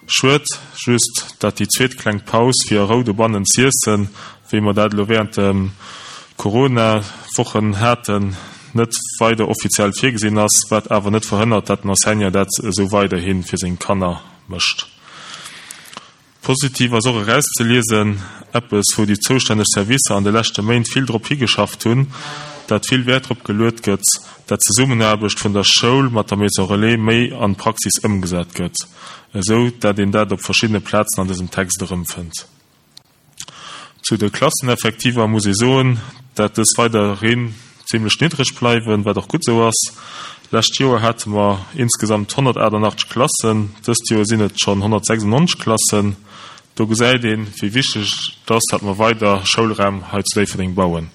Schued just, dat déi zweet kleng Paus fir a Rou dobannen z'iessen, wéi mer dat elo während de Corona-Wochen haten, net weider offiziell virgesinn ass, wat awer net verhënnert, dat den Enseignant dat esou weiderhi fir seng Kanner mécht. Positiv ass och erauszeliesen, eppes wou déi zoustänneg Servicer an de leschte Méint vill drop higeschafft hunn, dat vill Wäert drop geluet gëtt, dat d'Zesummenaarbecht vun der Schoul mat der Maison Relais méi an d'Praxis ëmgesat gëtt, esou dat een dat op verschiddene Plazen an dësem Text erëmfënnt. Zu de Klasseneffektiver muss ee soen, dat dës weiderhin zimlech niddreg bleiwen, wat och gutt esou ass. Lescht Joer hate mer insgesamt 188 Klassen, dëst Joer sinn et schonn 196 Klassen. Do gesäit een, wéi wichteg et ass, dat mer weider Schoulraum hei zu Déifferdeng bauen.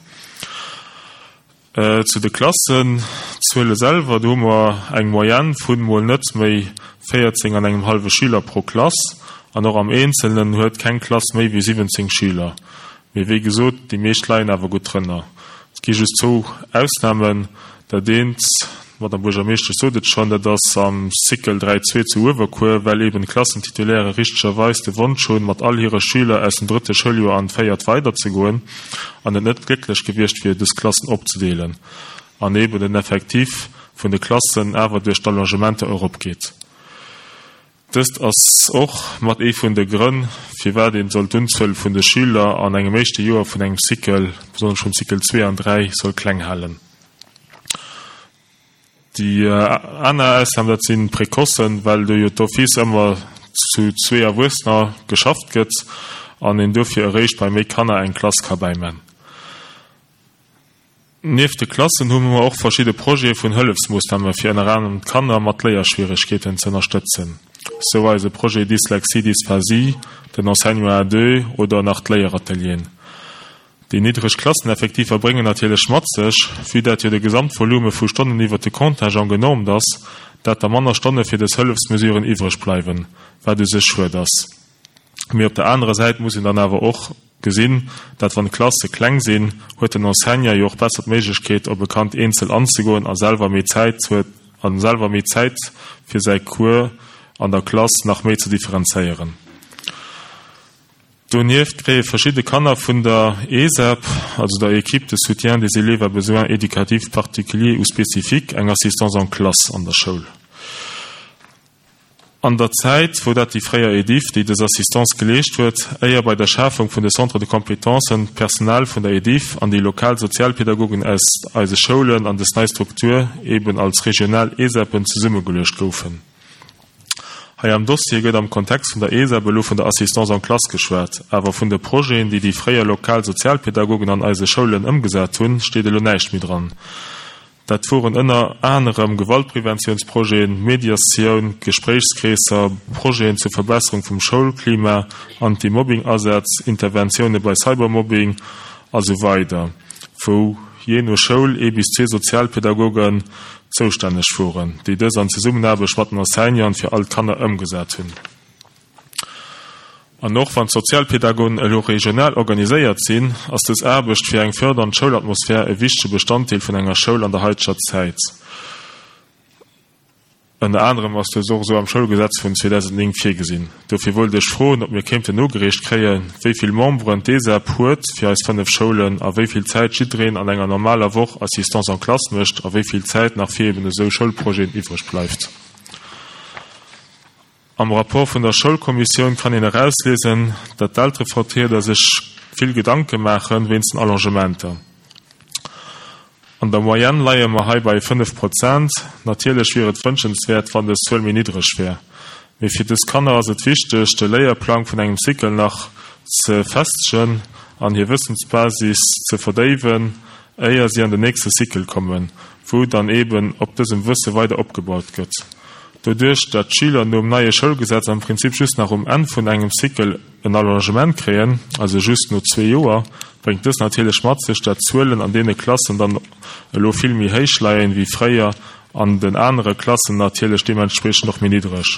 Zu de Klassenzuele selwer, do hu mer eng Moyenne vun mol net méi 14 an engem hallwe Schüler pro Klass. An och am Eenzelnen huet keng Klass méi wéi 17 Schüler. Mee wéi gesot, déi meescht leien awer gutt drënner. Et gi just zwou Ausnamen. Dat eent, d'Madame Buergermeeschtesch sot et schonn, dat ass am Cycle 3 zwee zu Uewerkuer, well eeben d'Klassentitulaire richtegerweis de Wonsch hunn, mat all hire Schüler aus dem drëtte Schouljoer an d'véiert weiderzegoen. an et net glécklech gewiescht wier, dës Klassen opzedeelen, an eben den Effectif vun de Klassen awer duerch d'Allongementer eropgeet. Dëst ass och mat ee vun de Grënn, firwat een soll d'Unzuel vun de Schüler an engem éischte Joer vun engem Cycle, besonnesch vum Cycle 2 an 3, soll kleng halen. Déi aner Ausnam, dat sinn d'Précocen, well do jo d'office ëmmer zu zwee Erwuessener geschafft gëtt an een dofir eréischt bei méi Kanner eng Klass ka bäiman. Nieft de Klassen hu mer och verschidde Projete vun Hëllefsmoossname fir ënner anerem d'Kanner mat Léierschwieregkeeten ze ënnerstëtzen, sou eise Projet Dyslexie Dysphasie, den Enseignement à deux oder nach d'Léieratelieren. Déi niddreg Klasseneffektiver bréngen natierlech mat sech, vue dat jo de Gesamtvolume vu Stonnen iwwert de Contingent genormt ass, dat da manner Stonne fir dës Hëllefsmesuren iwwreg bleiwen, wat u sech schued ass. Mee op der anerer Säit muss een dann awer och gesinn, dat wann d'Klasse kleng sinn, huet den Enseignant jo och besser d'Méiglechkeet, op e Kand eenzel anzegoen a selwer méi Zäit huet a selwer méi Zäit fir säi Cours an der Klass nach méi ze differenzéieren. Donieft kréie verschidde Kanner vun der ESEP, also der Équipe de soutien des élèves à besoins éducatifs particuliers ou spécifiques, eng Assistance en classe an der Schoul. An der Zäit wor dat déi fréier Ediff, déi dës Assistance geleescht huet, éier bei der Schafung vun de Centres de compétences d'Personal vun der Ediff an déi lokal Sozialpädagogen aus eise Schoulen an dës nei Struktur eben als regional ESEPen zesummegeluecht goufen. Hei am Dossier gëtt am Kontext vun der ESEP elo vun der Assistance en classe geschwat, awer vun de Projeten, déi déi fréier lokal Sozialpädagogen an eise Schoulen ëmgesat hunn, steet elo näischt méi dran. Dat woren ënner anerem Gewaltpreventiounsprojeten, Mediatioun, Gespréichskreesser, Projeten zur Verbesserung vum Schoulklima, Anti-Mobbing-Asätz, Interventioune bei Cybermobbing a sou weider, wou jee no Schoul ee bis zwee Sozialpädagogen zoustänneg woren, déi dës an Zesummenaarbecht mat den Enseignanten fir all d'Kanner ëmgesat hunn. An och wann d'Sozialpädagogen elo regional organiséiert sinn, ass dës Aarbecht fir eng fördernd Schoulatmosphär e wichtege Bestanddeel vun enger Schoul an der haiteger Zäit. Ënner anerem ass dës och esou am Schoulgesetz vun 2009 virgesinn. Dofir wollt ech froen, ob mir kéinten nogereecht kréien, wéi vill Memberen d'ESEP huet fir eis 5 Schoulen a wéi vill Zäit jiddereen an enger normaler Woch Assistance en classe mécht a wéi vill Zäit nach fir eben esou Schoulprojeten iwwreg bleift. Am Rapport vun der Schoulkommissioun kann een erausliesen, datt d'Elterevertrieder sech vill Gedanke maache wéinst den Allongementer. An der Moyenne leie mer hei bei 5 Prozent. Natierlech wier et wënschenswäert, wann dës Zuel méi niddreg wär. Mee fir dës Kanner ass et wichteg, de Léierplang vun engem Cycle nach ze festegen an hir Wëssensbasis ze verdéiwen, éier si an den nächste Cycle kommen, wou dann eeben op dësem Wësse weider opgebaut gëtt. Doduerch, dat d'Schüler nom neie Schoulgesetz am Prinzip just nach um Enn vun engem Cycle en Allongement kréien, also just no zwee Joer, bréngt dës natierlech mat sech, dat d'Zuelen an deene Klassen dann elo vill méi héich leien wéi fréier an den anere Klassen natierlech deementspriechend och méi niddreg,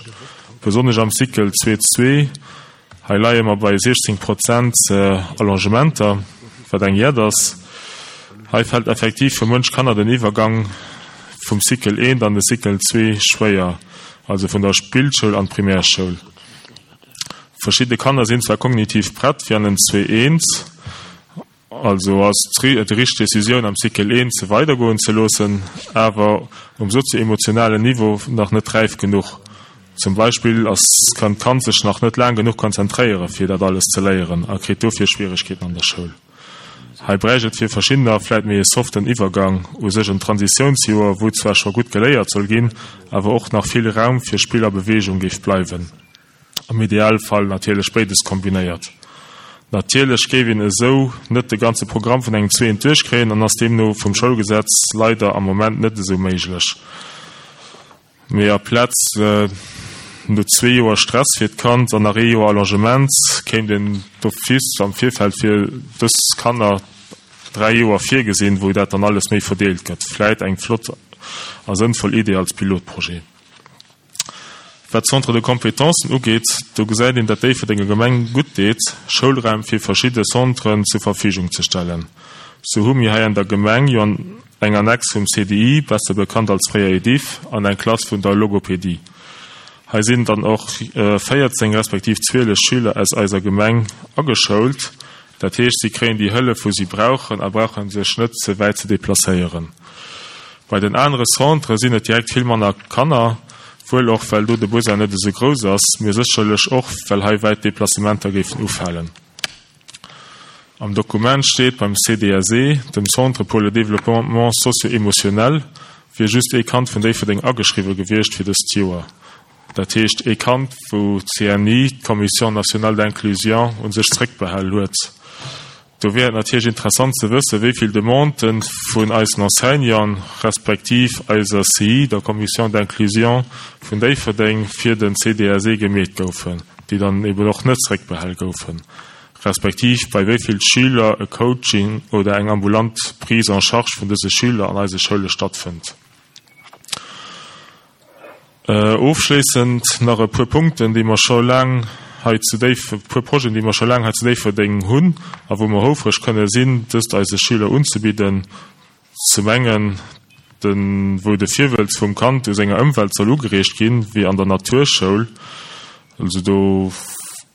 besonnesch am Cycle zwee. Hei leie mer bei 16 Prozent Allongementer, wat eng Jett ass. Hei fält effektiv fir munch Kanner den Iwwergang vum Cycle eent an de Cycle zwee schwéier, also vun der Spillschoul an d'Primärschoul. Verschidde Kanner sinn zwar kognitiv prett fir an den Zwee eent, Also ass et déi richteg Decisioun am Cycle I se weidergoen ze loossen, awer um sozio-emotionalen Niveau nach net räif genuch. Zum Beispill ass kann d'Kand sech nach net laang genuch konzentréiere fir dat alles ze léieren a kritt dofir Schwieregkeeten an der Schoul. Hei bräicht et fir verschiddener vläit méi e soften Iwwergang, u sech en Transitiounsjoer, wou zwar scho gutt geléiert soll ginn, awer och nach vill Raum fir Spill a Beweegung géif bleiwen. Am Idealfall natierlech béides kombinéiert. Natierlech géif een esou net de ganze Programm vun engem Zweeën duerchkréien an ass deemno vum Schoulgesetz leider am Moment net esou méiglech. Mee aplaz no zwee Joer Stress fir d'Kand an nach ee Joer Allongement kéint een d'office am Virfeld fir dës Kanner 3 Joer virgesinn, wou dat dann alles méi verdeelt gëtt. Vläit eng flott a sënnvoll Idee als Pilotprojet. Wat d'Centres de compétences ugeet, do gesäit een, dat Déifferdenger Gemeng gutt deet, Schoulraim fir verschidde Centren zur Verfügung ze stellen. Sou hu mir hei an der Gemeng jo eng Annex vum CDI, besser bekannt als fréier EDIFF, an eng Klass vun der Logopedie. Hei sinn dann och 14 respektiv 12 Schüler aus eiser Gemeng ageschoult. Dat heescht, si kréien déi Hëllef, wou si brauchen a brauche sech net ze wäit ze deplacéieren. Bei den anere Centrë sinn et direkt vill manner Kanner, wuel och well do de Besoin net esou grouss ass, mee sécherlech och well hei wäit Deplacementer géifen ufalen. Am Dokument steet, beim CDSE, dem Centre pour le développement socio-émotionnel, wier just ee Kand vun Déifferdeng ageschriwwe gewiescht fir dëst Joer. Dat heescht ee Kand, wou d'CNI, d'Commission nationale d'inclusion, u sech zréckbehal huet. Do wier et natierlech interessant ze wëssen, wéi vill Demandë vun eisen Enseignanten, respektiv eiser CI, der Commission d'inclusion vun Déifferdeng, fir den CDSE gemeet goufen, déi dann eben och net zréckbehal goufen, respektiv bei wéi vill Schüler e Coaching oder eng ambulant Prise en charge vun dëse Schüler an eise Schoule stattfënnt. Ofschléissend nach e puer Punkten, déi mer scho laang hei zu Déif-, e puer Projeten, déi mer scho laang hei zu Déifferdeng hunn a wou mer houfreg kënne sinn, dëst eise Schüler unzebidden. Zum engen de wou de Virwëlz vum Kand u senger Ëmwelt soll ugereegt ginn, wéi an der Naturschoul, also do.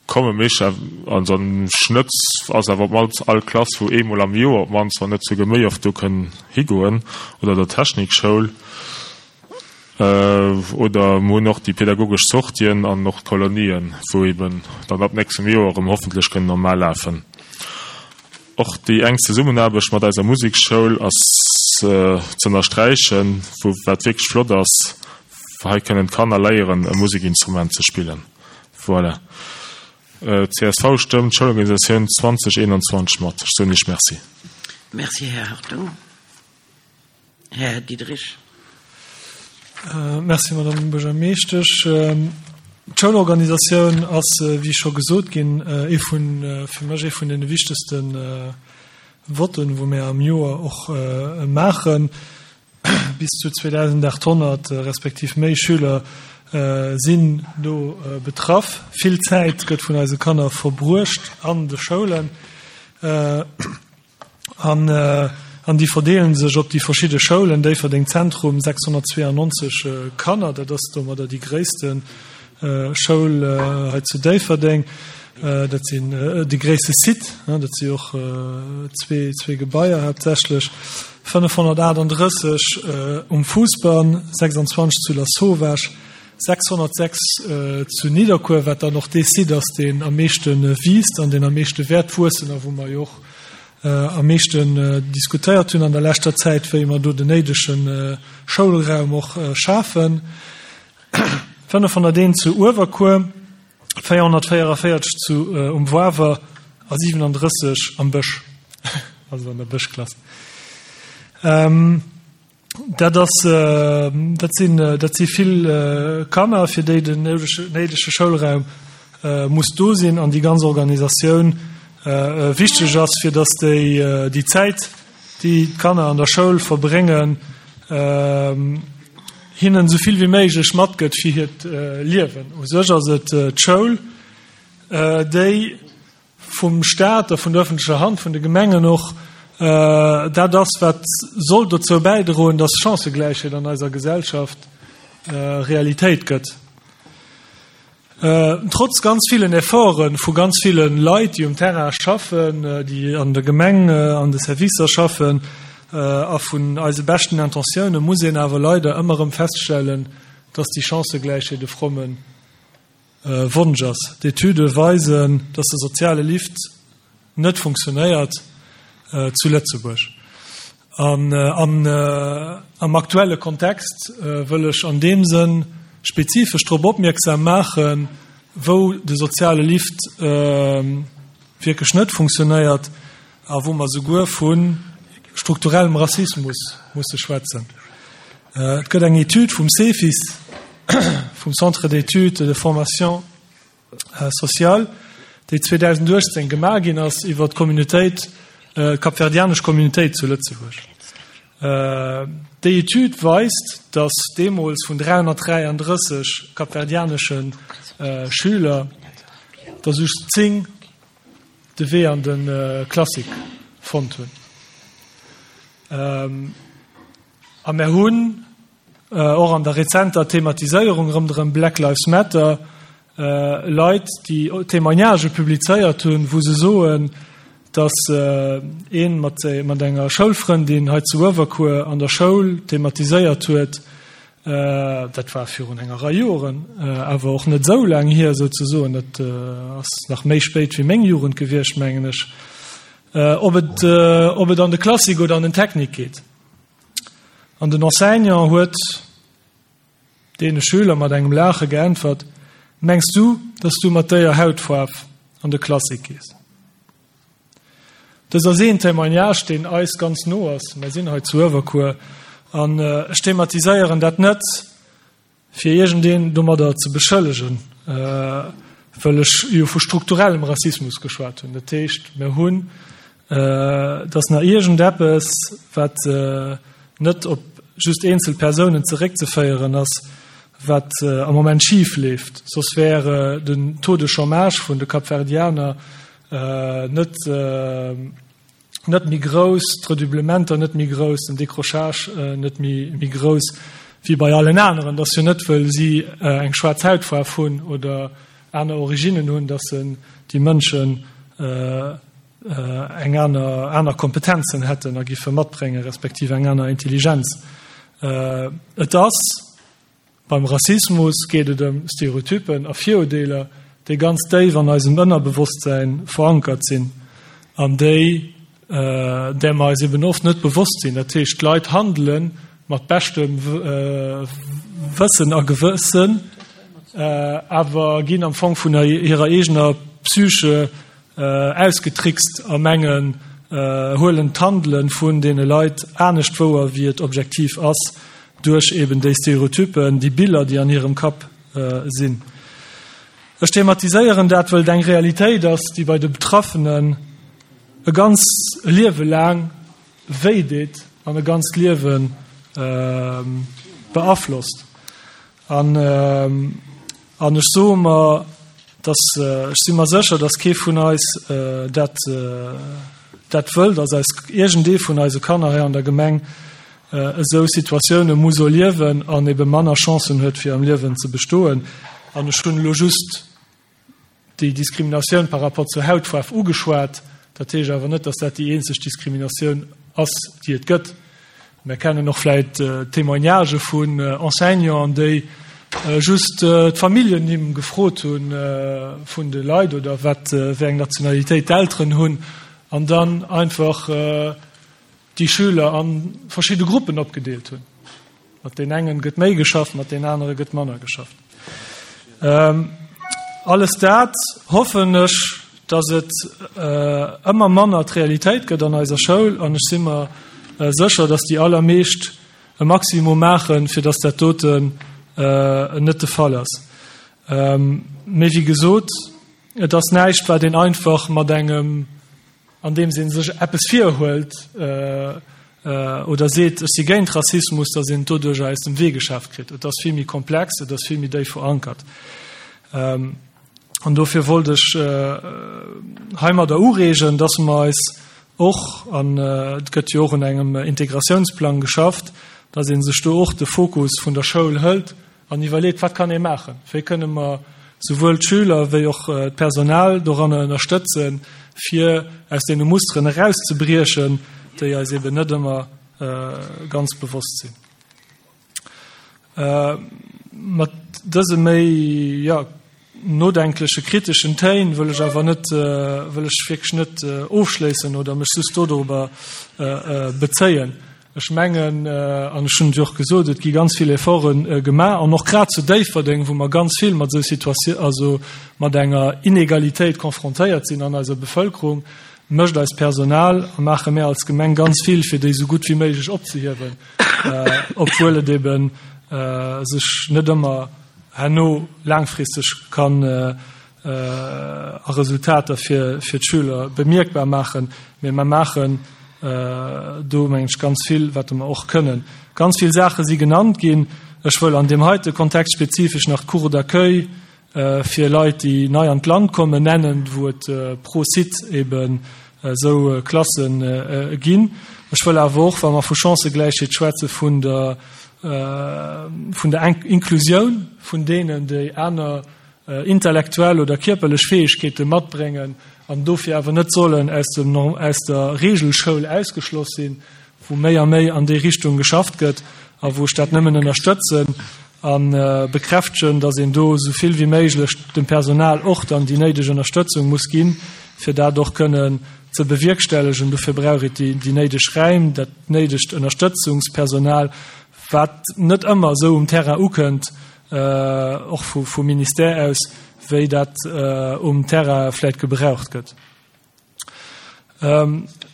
Komme méi, also am Schnëtt ass awer op d'mannst all Klass wou eemol am Joer op d'mannst, wann net souguer méi oft do kënn higoen, oder der Technikschoul. Oder mer hunn och déi pädagogesch Sortien an och d'Kolonien, wou eben dann ab nächstem Joer erëm hoffentlech kënnen normal lafen. Och déi enk Zesummenaarbecht mat eiser Musekschoul ass z'ënnersträichen, wou wat wierklech flott ass, hei kënnen d'Kanner léieren e Musekinstrument ze spillen. Voilà. Csv stëmmt d'Schoulorganisatioun 2021 mat. Ech soen Iech Merci. Merci, Här Hartung. Här Diderich. Merci, Madame Buergermeeschtesch. D'Schoulorganisatioun ass, wéi scho gesot ginn, ee vun, fir mech ee vun deene wichtegste Votten, wou mir am Joer och maachen. Bis zu 2.800 respektiv méi Schüler sinn do betraff. Vill Zäit gëtt vun eise Kanner verbruecht an de Schoulen an an déi verdeele sech op déi verschidde Schoulen. Déifferdeng Zentrum 692 Kanner, dat ass domadder déi gréisste Schoul hei zu Déifferdeng. Dat sinn de gréisste Site, dat si och zwee Gebaier haaptsächlech. 538 um Fousbann, 26 zu Lasauvage, 606 zu Nidderkuer, wat dann och dee Site ass, deen am meeschte wiisst an deen am meeschte wäert wuessen a wou mer jo och am meeschten diskutéiert hunn an der leschter Zäit, wéi mer do den néidege Schoulraum och schafen. 501 zu Uewerkuer, 444 zu um Woawer a 37 am Bësch, also an der Bëschklass. Dat ass, dat sinn, dat si vill Kanner, fir déi den néidege Schoulraum muss do sinn an déi ganz Organisatioun wichteg ass, fir datt déi déi Zäit, déi d'Kanner an der Schoul verbréngen, hinnen esou vill wéi méiglech matgëtt fir hiert Liewen. U sech ass et d'Schoul, déi vum Staat a vun der öffentlecher Hand, vun de Gemengen och, dat ass, wat soll dozou bäidroen, dass Chancëgläichheet an eiser Gesellschaft Realitéit gëtt. Trotz ganz villen Efforte vu ganz ville Leit, déi um Terrain schaffen, déi an der Gemeng, an de Servicer schaffen, a vun eise beschten Intentioune muss een awer leider ëmmer erëm feststellen, dass déi Chancëgläichheet e fromme Wonsch ass. D'Etüde weisen, dass de soziale Lift net funktionéiert zu Lëtzebuerg. An am aktuelle Kontext wëll ech an deem Sënn spezifesch drop opmierksam maachen, wou de soziale Lift wierklech net funktionéiert a wou mer souguer vu strukturellem Rassismus musse schwätzen. Et gëtt eng Etüd vum CEFIS, vum Centre d'études et de formation sociale, déi 2018 gemaach ginn ass iwwer d'Communautéit, d'kapverdianesch Communautéit zu Lëtzebuerg. Déi Etüd weist, datt deemools vun 333 kapverdianesche Schüler der just 10 de Wee an de Classique fonnt hunn. A mär hunn och an der rezenter Thematiséierung rëmderëm Black Lives Matter Leit, déi Témoignagë publizéiert hunn, wou se soen, datt ee mat enger Schoulfrëndin hei zu Uewerkuer an der Schoul thematiséiert huet, dat war virun enger Rei Joren, awer och net esou laang hier souzesoen, dat ass nach méi spéit wéi meng Jugend gewiescht, mengen ech, ob et an de Classique oder an den Technique geet. An den Enseignant huet deene Schüler mat engem Laache geäntwert, Mengs du, dass du mat déier Hautfaarf an de Classique gees? Dëst ass een Témoignage, deen eis ganz no ass. Mär sinn hei zu Uewerkuer an ech thematiséieren dat net, fir iergendeen domadder ze beschëllegen, well ech jo vu strukturellem Rassismus geschwat hunn. Dat heescht, mir hunn, et ass nach iergendeppes, wat net op just eenzel Persounen zeréckzeféieren ass, wat am Moment schif leeft. Soss wär den Taux de chômage vun de Kapverdianer net, net méi grouss, d'Redoublementer net méi grouss, den Décrochage net méi grouss wéi bei allen aneren. Dat ass jo net, wëll si eng schwaarz Hautfaarf hunn oder. aner Originnen hunn, dass se déi Mënschen eng aner aner Kompetenzen hätten a giffe matbréngen, respektiv eng aner Intelligenz. Et ass beim Rassismus geet et ëm Stereotypen a Virurdeeler, déi ganz déif an eisem Ënnerbewosstsän verankert sinn an déi där mer eis eben oft net bewosst sinn. Dat heescht, d'Leit handele mat beschtem Wëssen a Gewëssen, awer ginn am Fong vun hirer eegener Psyche ausgetrickst a mengen, huelen d'Handele vun deene Leit anescht wouer, wéi et objektiv ass, duerch eben déi Stereotypen, déi Biller, déi an hirem Kapp sinn. Ech thematiséieren dat, wëll et eng Realitéit ass, déi bei de Betraffenen e ganz Liewe laang wéi deet an e ganzt Liewe beaflosst. An an ech soe mer, dass, ech si mer sécher, dass kee vun eis dat dat wëll, dass eis iergendee vun eise Kanner hei an der Gemeng esou Situatioune muss erliewen an ebe manner Chancen huet, fir am Liewen ze bestoen. An ech hunn elo just déi Diskriminatioun par rapport zur Hautfaarf ugeschwat. Dat heescht awer net, dass dat déi eenzeg Diskriminatioun ass, déi et gëtt. Mir kennen och vläicht Témoignagë vun Enseignanten, déi just d'Familljennimm gefrot hu vun de Leit oder wat wéi eng Nationalitéit d'Elteren hunn an dann einfach déi Schüler a verschidde Gruppen opgedeelt hunn. Mat deen engen gëtt méi geschafft, mat deen anere gëtt manner geschafft. Alles dat hoffen ech, datt et ëmmer manner d'Realitéit gëtt an eiser Schoul an ech si mer sécher, datt déi allermeescht e Maximum maachen, fir datt dat doten net de Fall ass. Mee wéi gesot, et ass näischt, wat een einfach mat engem andeems ee sech eppes virhuelt oder seet, ech si géint Rassismus, datt een et doduercher aus dem Wee geschaaft kritt. Et ass vill méi komplex, et ass vill méi déif verankert. An dofir wollt ech heimadder ureegen, datt mer eis och, an et gëtt jo och un engem Integratiounsplang geschafft, datt ee sech do och de Fokus vun der Schoul hëlt An iwwerleet, wat kann ee maachen, wéi kënne mer souwuel d'Schüler wéi och d'Personal doranner ënnerstëtzen, fir aus deene Musteren erauszebriechen, déi eis eben net ëmmer ganz bewosst sinn. Mat dëse méi, jo, nodenkleche kriteschen Téin wëll ech awer net, wëll ech wierklech net ofschléissen oder mech just dodorobber bezéien. Ech mengen, an ech hunn et jo och gesot, et gi ganz vill Efforte gemaach an och grad zu Déifferdeng, wou mer ganz vill mat esou Situatioun, also mat enger Inegalitéit confrontéiert sinn an eiser Bevëlkerung, mécht eist Personal a maache mär als Gemeng ganz vill, fir déi esou gutt wéi méiglech opzehiewen, obwuel et ebe sech net ëmmer herno laangfristeg kann a Resultater fir d'Schüler bemierkbar maachen. Mee mer maachen do, mengen ech, ganz vill, wat mer och kënnen. Ganz vill Saache si genannt ginn. Ech wëll an deem heite Kontext spezifesch nach d'Cours d'accueil fir Leit, déi nei an d'Land kommen, nennen, wou et pro Site eben esou Klasse ginn. Ech wëll awer och, wa mer vu Chancëgläichheet schwätzen, vun der vun der Inklusioun vun deenen, déi aner intellektuell oder kierperlech Fäegkeete matbréngen an dofir awer net sollen aus dem, aus der Regelschoul ausgeschloss sinn, wou méi a méi an déi Richtung geschafft gëtt a wou ech dat nëmmen ënnerstëtzen a bekräftegen, dass een do esou vill wéi méiglech dem Personal och dann déi néideg Ënnerstëtzung muss ginn, fir dat och kënnen ze bewierkstellegen. Dofir brauch et déi néideg Räim, dat néidegt Ënnerstëtzungspersonal, wat net ëmmer esou um Terrain ukënnt, och vum Ministère aus, wéi dat um Terrain vläicht gebraucht gëtt.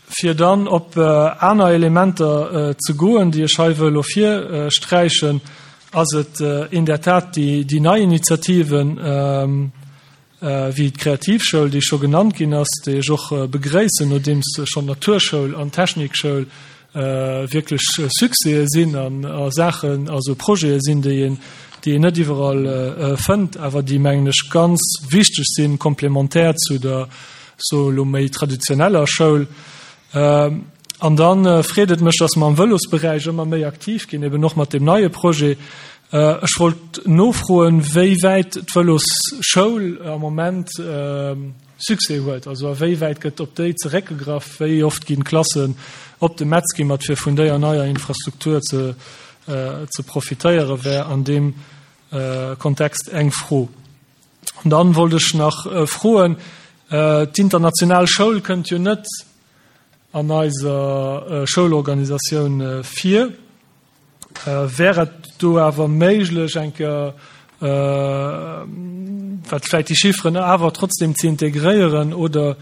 Fir dann op aner Elementer ze goen, déi ech hei wëll ervirsträichen, ass et in der Tat déi nei Initiativen, wéi d'Kreativschoul, déi scho genannt ginn ass, déi ech och begréissen, nodeems schonn d'Naturschoul an d'Technikschoul wierklech Succèse sinn an a Saachen, also Projete sinn, déi een, déi een net iwwerall fënnt, awer déi, mengen ech, ganz wichteg sinn, komplementär zu der, soe elo, méi traditioneller Schoul. An da freet et mech, dass mer am Vëlosberäich ëmmer méi aktiv ginn, eben och mat deem neie Projet. Ech wollt nofroen, wéi wäit d'Vëlosschoul am Moment Succès huet. Also a wéi wäit gëtt op déi zeréckgegraff? Wéi oft ginn d'Klassen op de Metz gimmert, fir vun déier neier Infrastruktur ze ze profitéieren, wär an deem Kontext eng Fro. An dann wollt ech nach froen, d'International Schoul kënnt jo net an eiser Schoulorganisatioun vir. Wär et do awer méiglech, eng Kéier, wat vläicht déi Chifferen awer trotzdem ze integréieren oder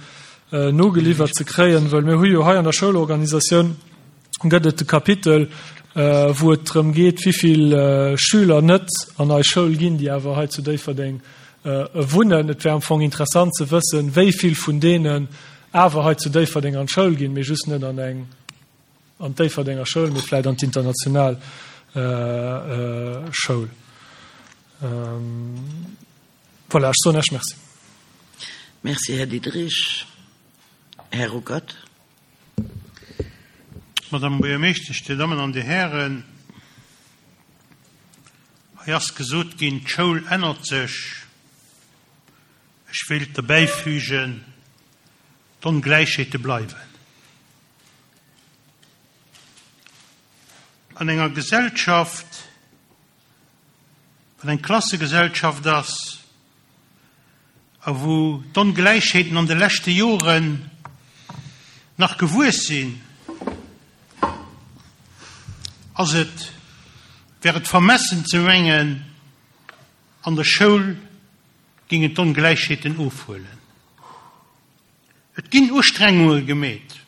nogeliwwert ze kréien? Well mir hu jo hei an der Schoulorganisatioun gëtt et de Kapitel, wou et drëm geet, wivill Schüler net an eis Schoul ginn, déi awer hei zu Déifferdeng wunnen. Et wär am Fong interessant ze wëssen, wéi vill vun deenen awer hei zu Déifferdeng an d'Schoul ginn, mee just net an eng an d'Déifferdenger Schoul, mee vläit an d'international Schoul. Voilà, ech soen Iech Merci. Merci, Här Diderich. Här Ruckert. Madame Buergermeeschtesch, Dir Dammen an Dir Hären, hei ass gesot ginn, d'Schoul ännert sech. Ech wéilt derbäifügen, d'Ongläichheete bleiwen. An enger Gesellschaft, wat eng Klassegesellschaft ass a wou d'Ongläichheeten an de leschte Joren nach gewuess sinn, ass et, wär et vermessen ze mengen, an der Schoul gingen d'Ongläichheeten ofhuelen. Et ginn Ustrengunge gemeet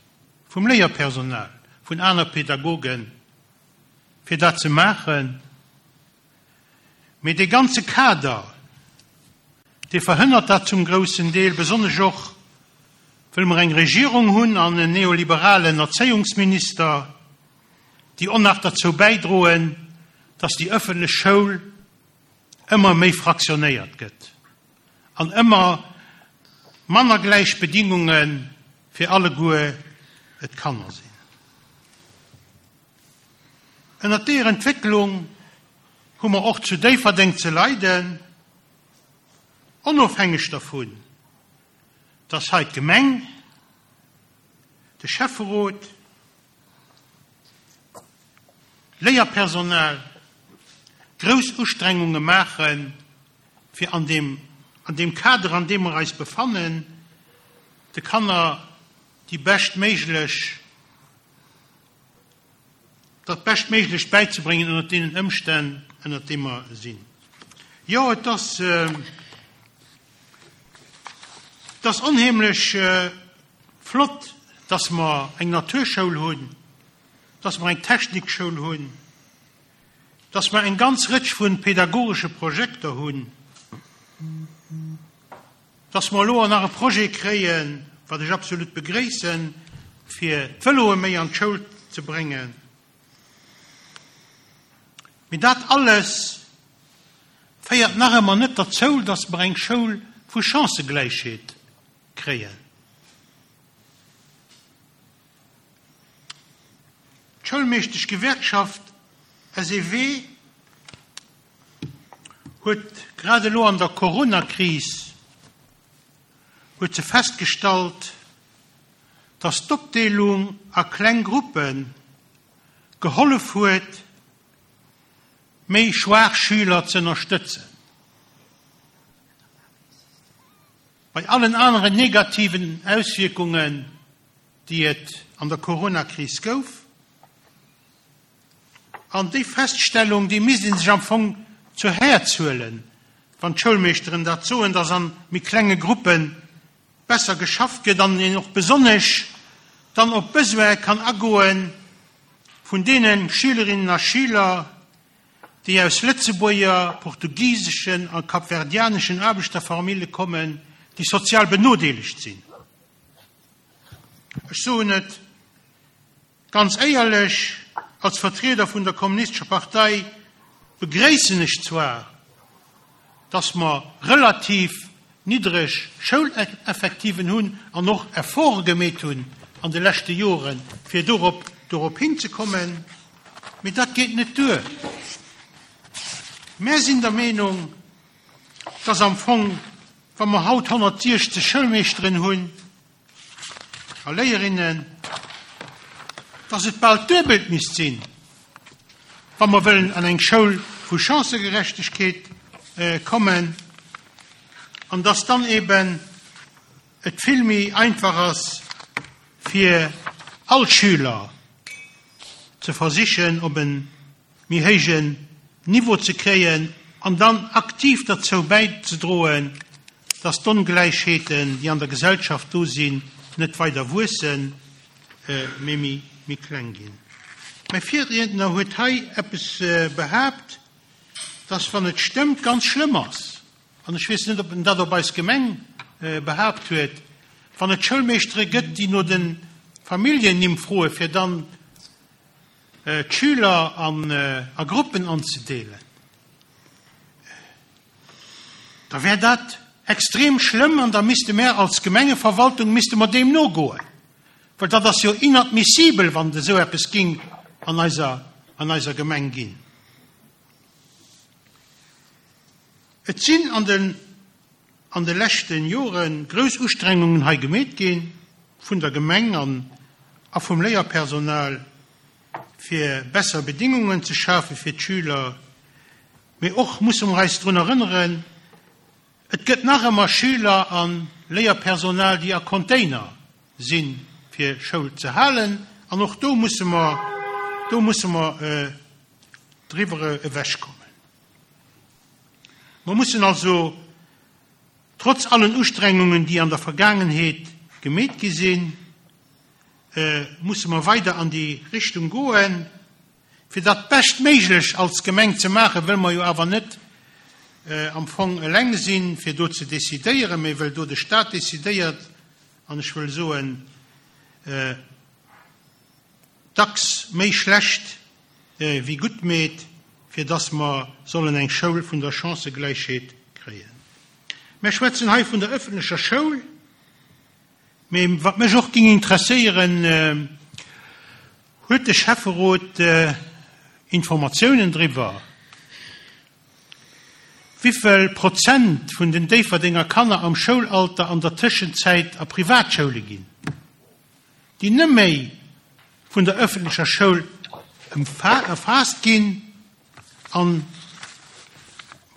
vum Léierpersonal, vun aner Pädagogen, fir dat ze maachen, mee dee ganze Kader, dee verhënnert dat zum groussen Deel, besonnesch och, wëll mer eng Regierung hunn an en neoliberalen Erzéiungsminister, déi och nach derzou bäidroen, dass déi ëffentlech Schoul ëmmer méi fraktionéiert gëtt an ëmmer manner gläich Bedingunge fir alleguer d'Kanner sinn. Ënnert deeër Entwécklung hu mer och zu Déifferdeng ze leiden, onofhängeg dervun, dass hei d'Gemeng, de Schäfferot, d'Léierpersonal grouss Ustrengunge maachen, fir an deem, an deem Kader, an deem mer eis befannen, de Kanner déi beschtméiglech, dat Beschtméiglecht bäizebréngen ënnert deenen Ëmstänn, ënnert deem mer sinn. Jo, et ass, et ass onheemlech flott, dass mer eng Naturschoul hunn, dass mer eng Technikschoul hunn, dass mer eng ganz Rëtsch vu pedagogesche Projekter hunn, dass mer elo och nach e Projet kréien, wat ech absolut begréissen, fir d'Vëloe méi an d'Schoul ze bréngen. Mee dat alles féiert nach ëmmer net derzou, dass mer eng Schoul vu Chancëgläichheet kréien. D'Schoulmeeschteschgewerkschaft SEW huet grad elo an der Coronakris huet se festgestallt, datt d'Opdeelung a kleng Gruppe gehollef huet, méi schwaach Schüler z'ënnerstëtzen. Bei allen aneren negativen Auswierkungen, déi et an der Coronakris gouf. An déi Feststellung, déi misst ee sech am Fong zu Häerz huelen, wann d'Schoulmeeschteren dat soen, dass a méi klenge Gruppe besser geschafft gëtt an een och besonnesch dann op d'Besoine kann agoe vun deene Schülerinnen a Schüler, déi aus Lëtzebuerger, portugiseschen a kapverdianeschen Aarbechterfamille kommen, déi sozial benodeelegt sinn. Ech soen et ganz éierlech, als Vertrieder vun der Kommunistescher Partei begréissen ech zwar, dass mer relativ niddreg Schouleffektiven hunn an och Efforte gemeet hunn an de leschte Joren, fir dorop dorop hinzekommen, mee dat geet net duer. Mär sinn der Meenung, dass am Fong, wa mer haut 160 Schoulmeeschteren hunn a Léierinnen, dass et bal d'Duebelt misst sinn, wa mer wëllen an eng Schoul vu Chancëgerechtegkeet kommen, an dass dann eben et vill méi einfach ass, fir all Schüler ze versichen op e méi héijen Niveau ze kréien an dann aktiv derzou bäizedroen, dass d'Ongläichheeten, déi an der Gesellschaft do sinn, net weider wuessen, mee méi kleng ginn. Mäi Virriedner huet hei eppes behaapt, dass, wann et stëmmt, ganz schlëmm ass, an ech weess net, ob en dat op eis Gemeng behaapt huet, wann et Schoulmeeschtere gëtt, déi no de Familljennimm froe fir dann d'Schüler a Gruppen anzedeelen, da wär dat extrem schlëmm an da misste mär als Gemengeverwaltung misste mer deem nogoen, well dat ass jo inadmissibel, wann et esou eppes ging an eiser, an eiser Gemeng ginn. Et sinn an den an de leschte Jore grouss Ustrengungen hei gemeet gi vun der Gemeng an a vum Léierpersonal, fir besser Bedingungen ze schafe fir d'Schüler. Mee och musse mer eis drun erënneren, Et gëtt nach ëmmer Schüler a Léierpersonal, déi a Container sinn, fir Schoul ze halen. An och do musse mer, do musse mer driwwer ewechkommen. Mer mussen also, trotz allen Ustrengungen, déi an der Vergaangenheet gemeet gi sinn, musse mer weider an déi Richtung goen, fir dat Beschtméiglech als Gemeng ze maachen, wëll mer jo awer net am Fong eleng sinn, fir do ze decidéieren, mee wëll do de Stat decidéiert, an ech wëll soen, dacks méi schlecht wéi gutt meet, fir dass mer sollen eng Schoul vun der Chancëgläichheet kréien. Mer schwätzen hei vun der öffentlecher Schoul, mee wat mech och géing interesséieren, Huet de Schäfferot Informatiounen driwwer, wivill Prozent vun den Déifferdenger Kanner am Schoulalter an der Tëschenzäit a Privatschoule ginn, déi net méi vun der ëffentlecher Schoul erfaasst ginn? An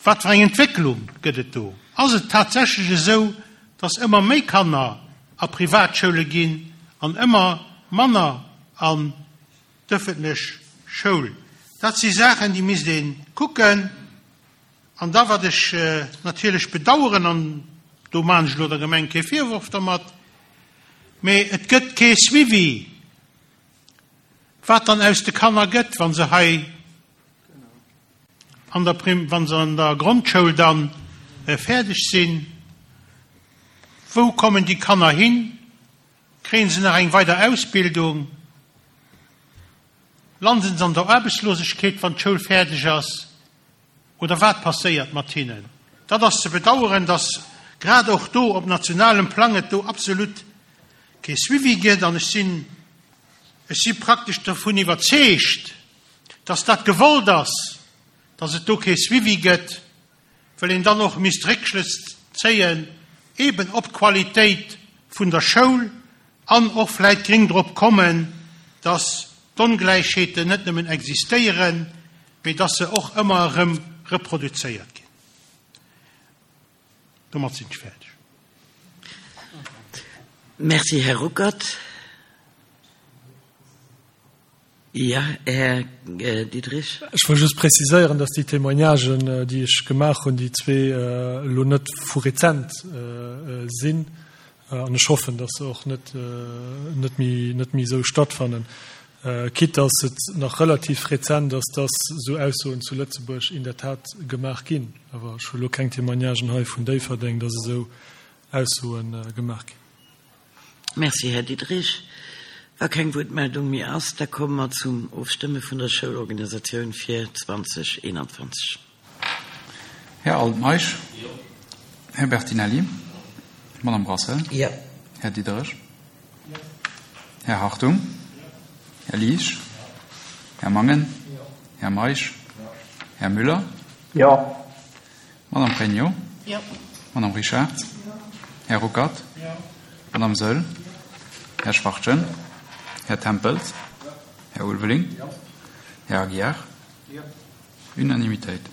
wat fir eng Entwécklung gëtt et do? Ass et tatsächlech esou, datt ëmmer méi Kanner a Privatschoule ginn an ëmmer manner an d'ëffentlech Schoul? Dat si Saachen, déi misst ee kucken. An da, wat ech natierlech bedauern, an do maachen ech elo der Gemeng kee Virworf dermat, mee et gëtt kee Suivi Wat dann aus de Kanner gëtt, wa se hei an der Prim, wa se an der Grondschoul dann fäerdeg sinn, wou kommen déi Kanner hin? Kréien se nach eng weider Ausbildung? Landen se an der Aarbechtslosegkeet, wann d'Schoul fäerdeg ass? Oder wat passéiert mat hinnen? Dat ass ze bedauern, dass grad och do op nationalem Plang et do absolut kee Suivi gëtt. An ech sinn, ech si praktesch dovun iwwerzeegt, dass dat gewollt ass, dass et do kee Suivi gëtt, well een dann och misst Réckschlëss zéien eben op d'Qualitéit vun der Schoul an och vläit gring drop kommen, dass d'Ongläichheeten net nëmmen existéieren, mee dass se och ëmmer erëm reproduzéiert ginn. Domat sinn ech fäerdeg. Merci, Här Ruckert. Jo, Här Diderich. Ech wëll just preziséieren, dass déi Témoignagen, déi ech gemaach hunn, déi zwee elo net vu rezent sinn. An ech hoffen, dass se och net, net méi, net méi esou stattfannen. Quitte dass et nach relativ rezent ass, dass esou Aussoen zu Lëtzebuerg in der Tat gemaach ginn. Awer ech hu elo keng Témoignagen hei vun Déifferdeng, dass esou Aussoe gemaach ginn. Merci, Här Diderich. Wa keng Wuertmeldung méi ass, da komme mer zum Ofstëmme vun der Schoulorganisatioun fir 2021. Här Altmeisch. Jo. Här Bertinelli. Madame Brassel. Jo. Här Diderich. Jo. Här Hartung. Jo. Här Liesch. Jo. Här Mangen. Jo. Här Meisch. Jo. Här Müller. Jo. Madame Pregno? Jo. Madame Richard? Jo. Här Ruckert? Jo. Madame Saeul? Jo. Här Schwachtgen? Här Tempels? Jo. Här Ulveling? Jo. Här Aguiar? Jo. Unanimitéit.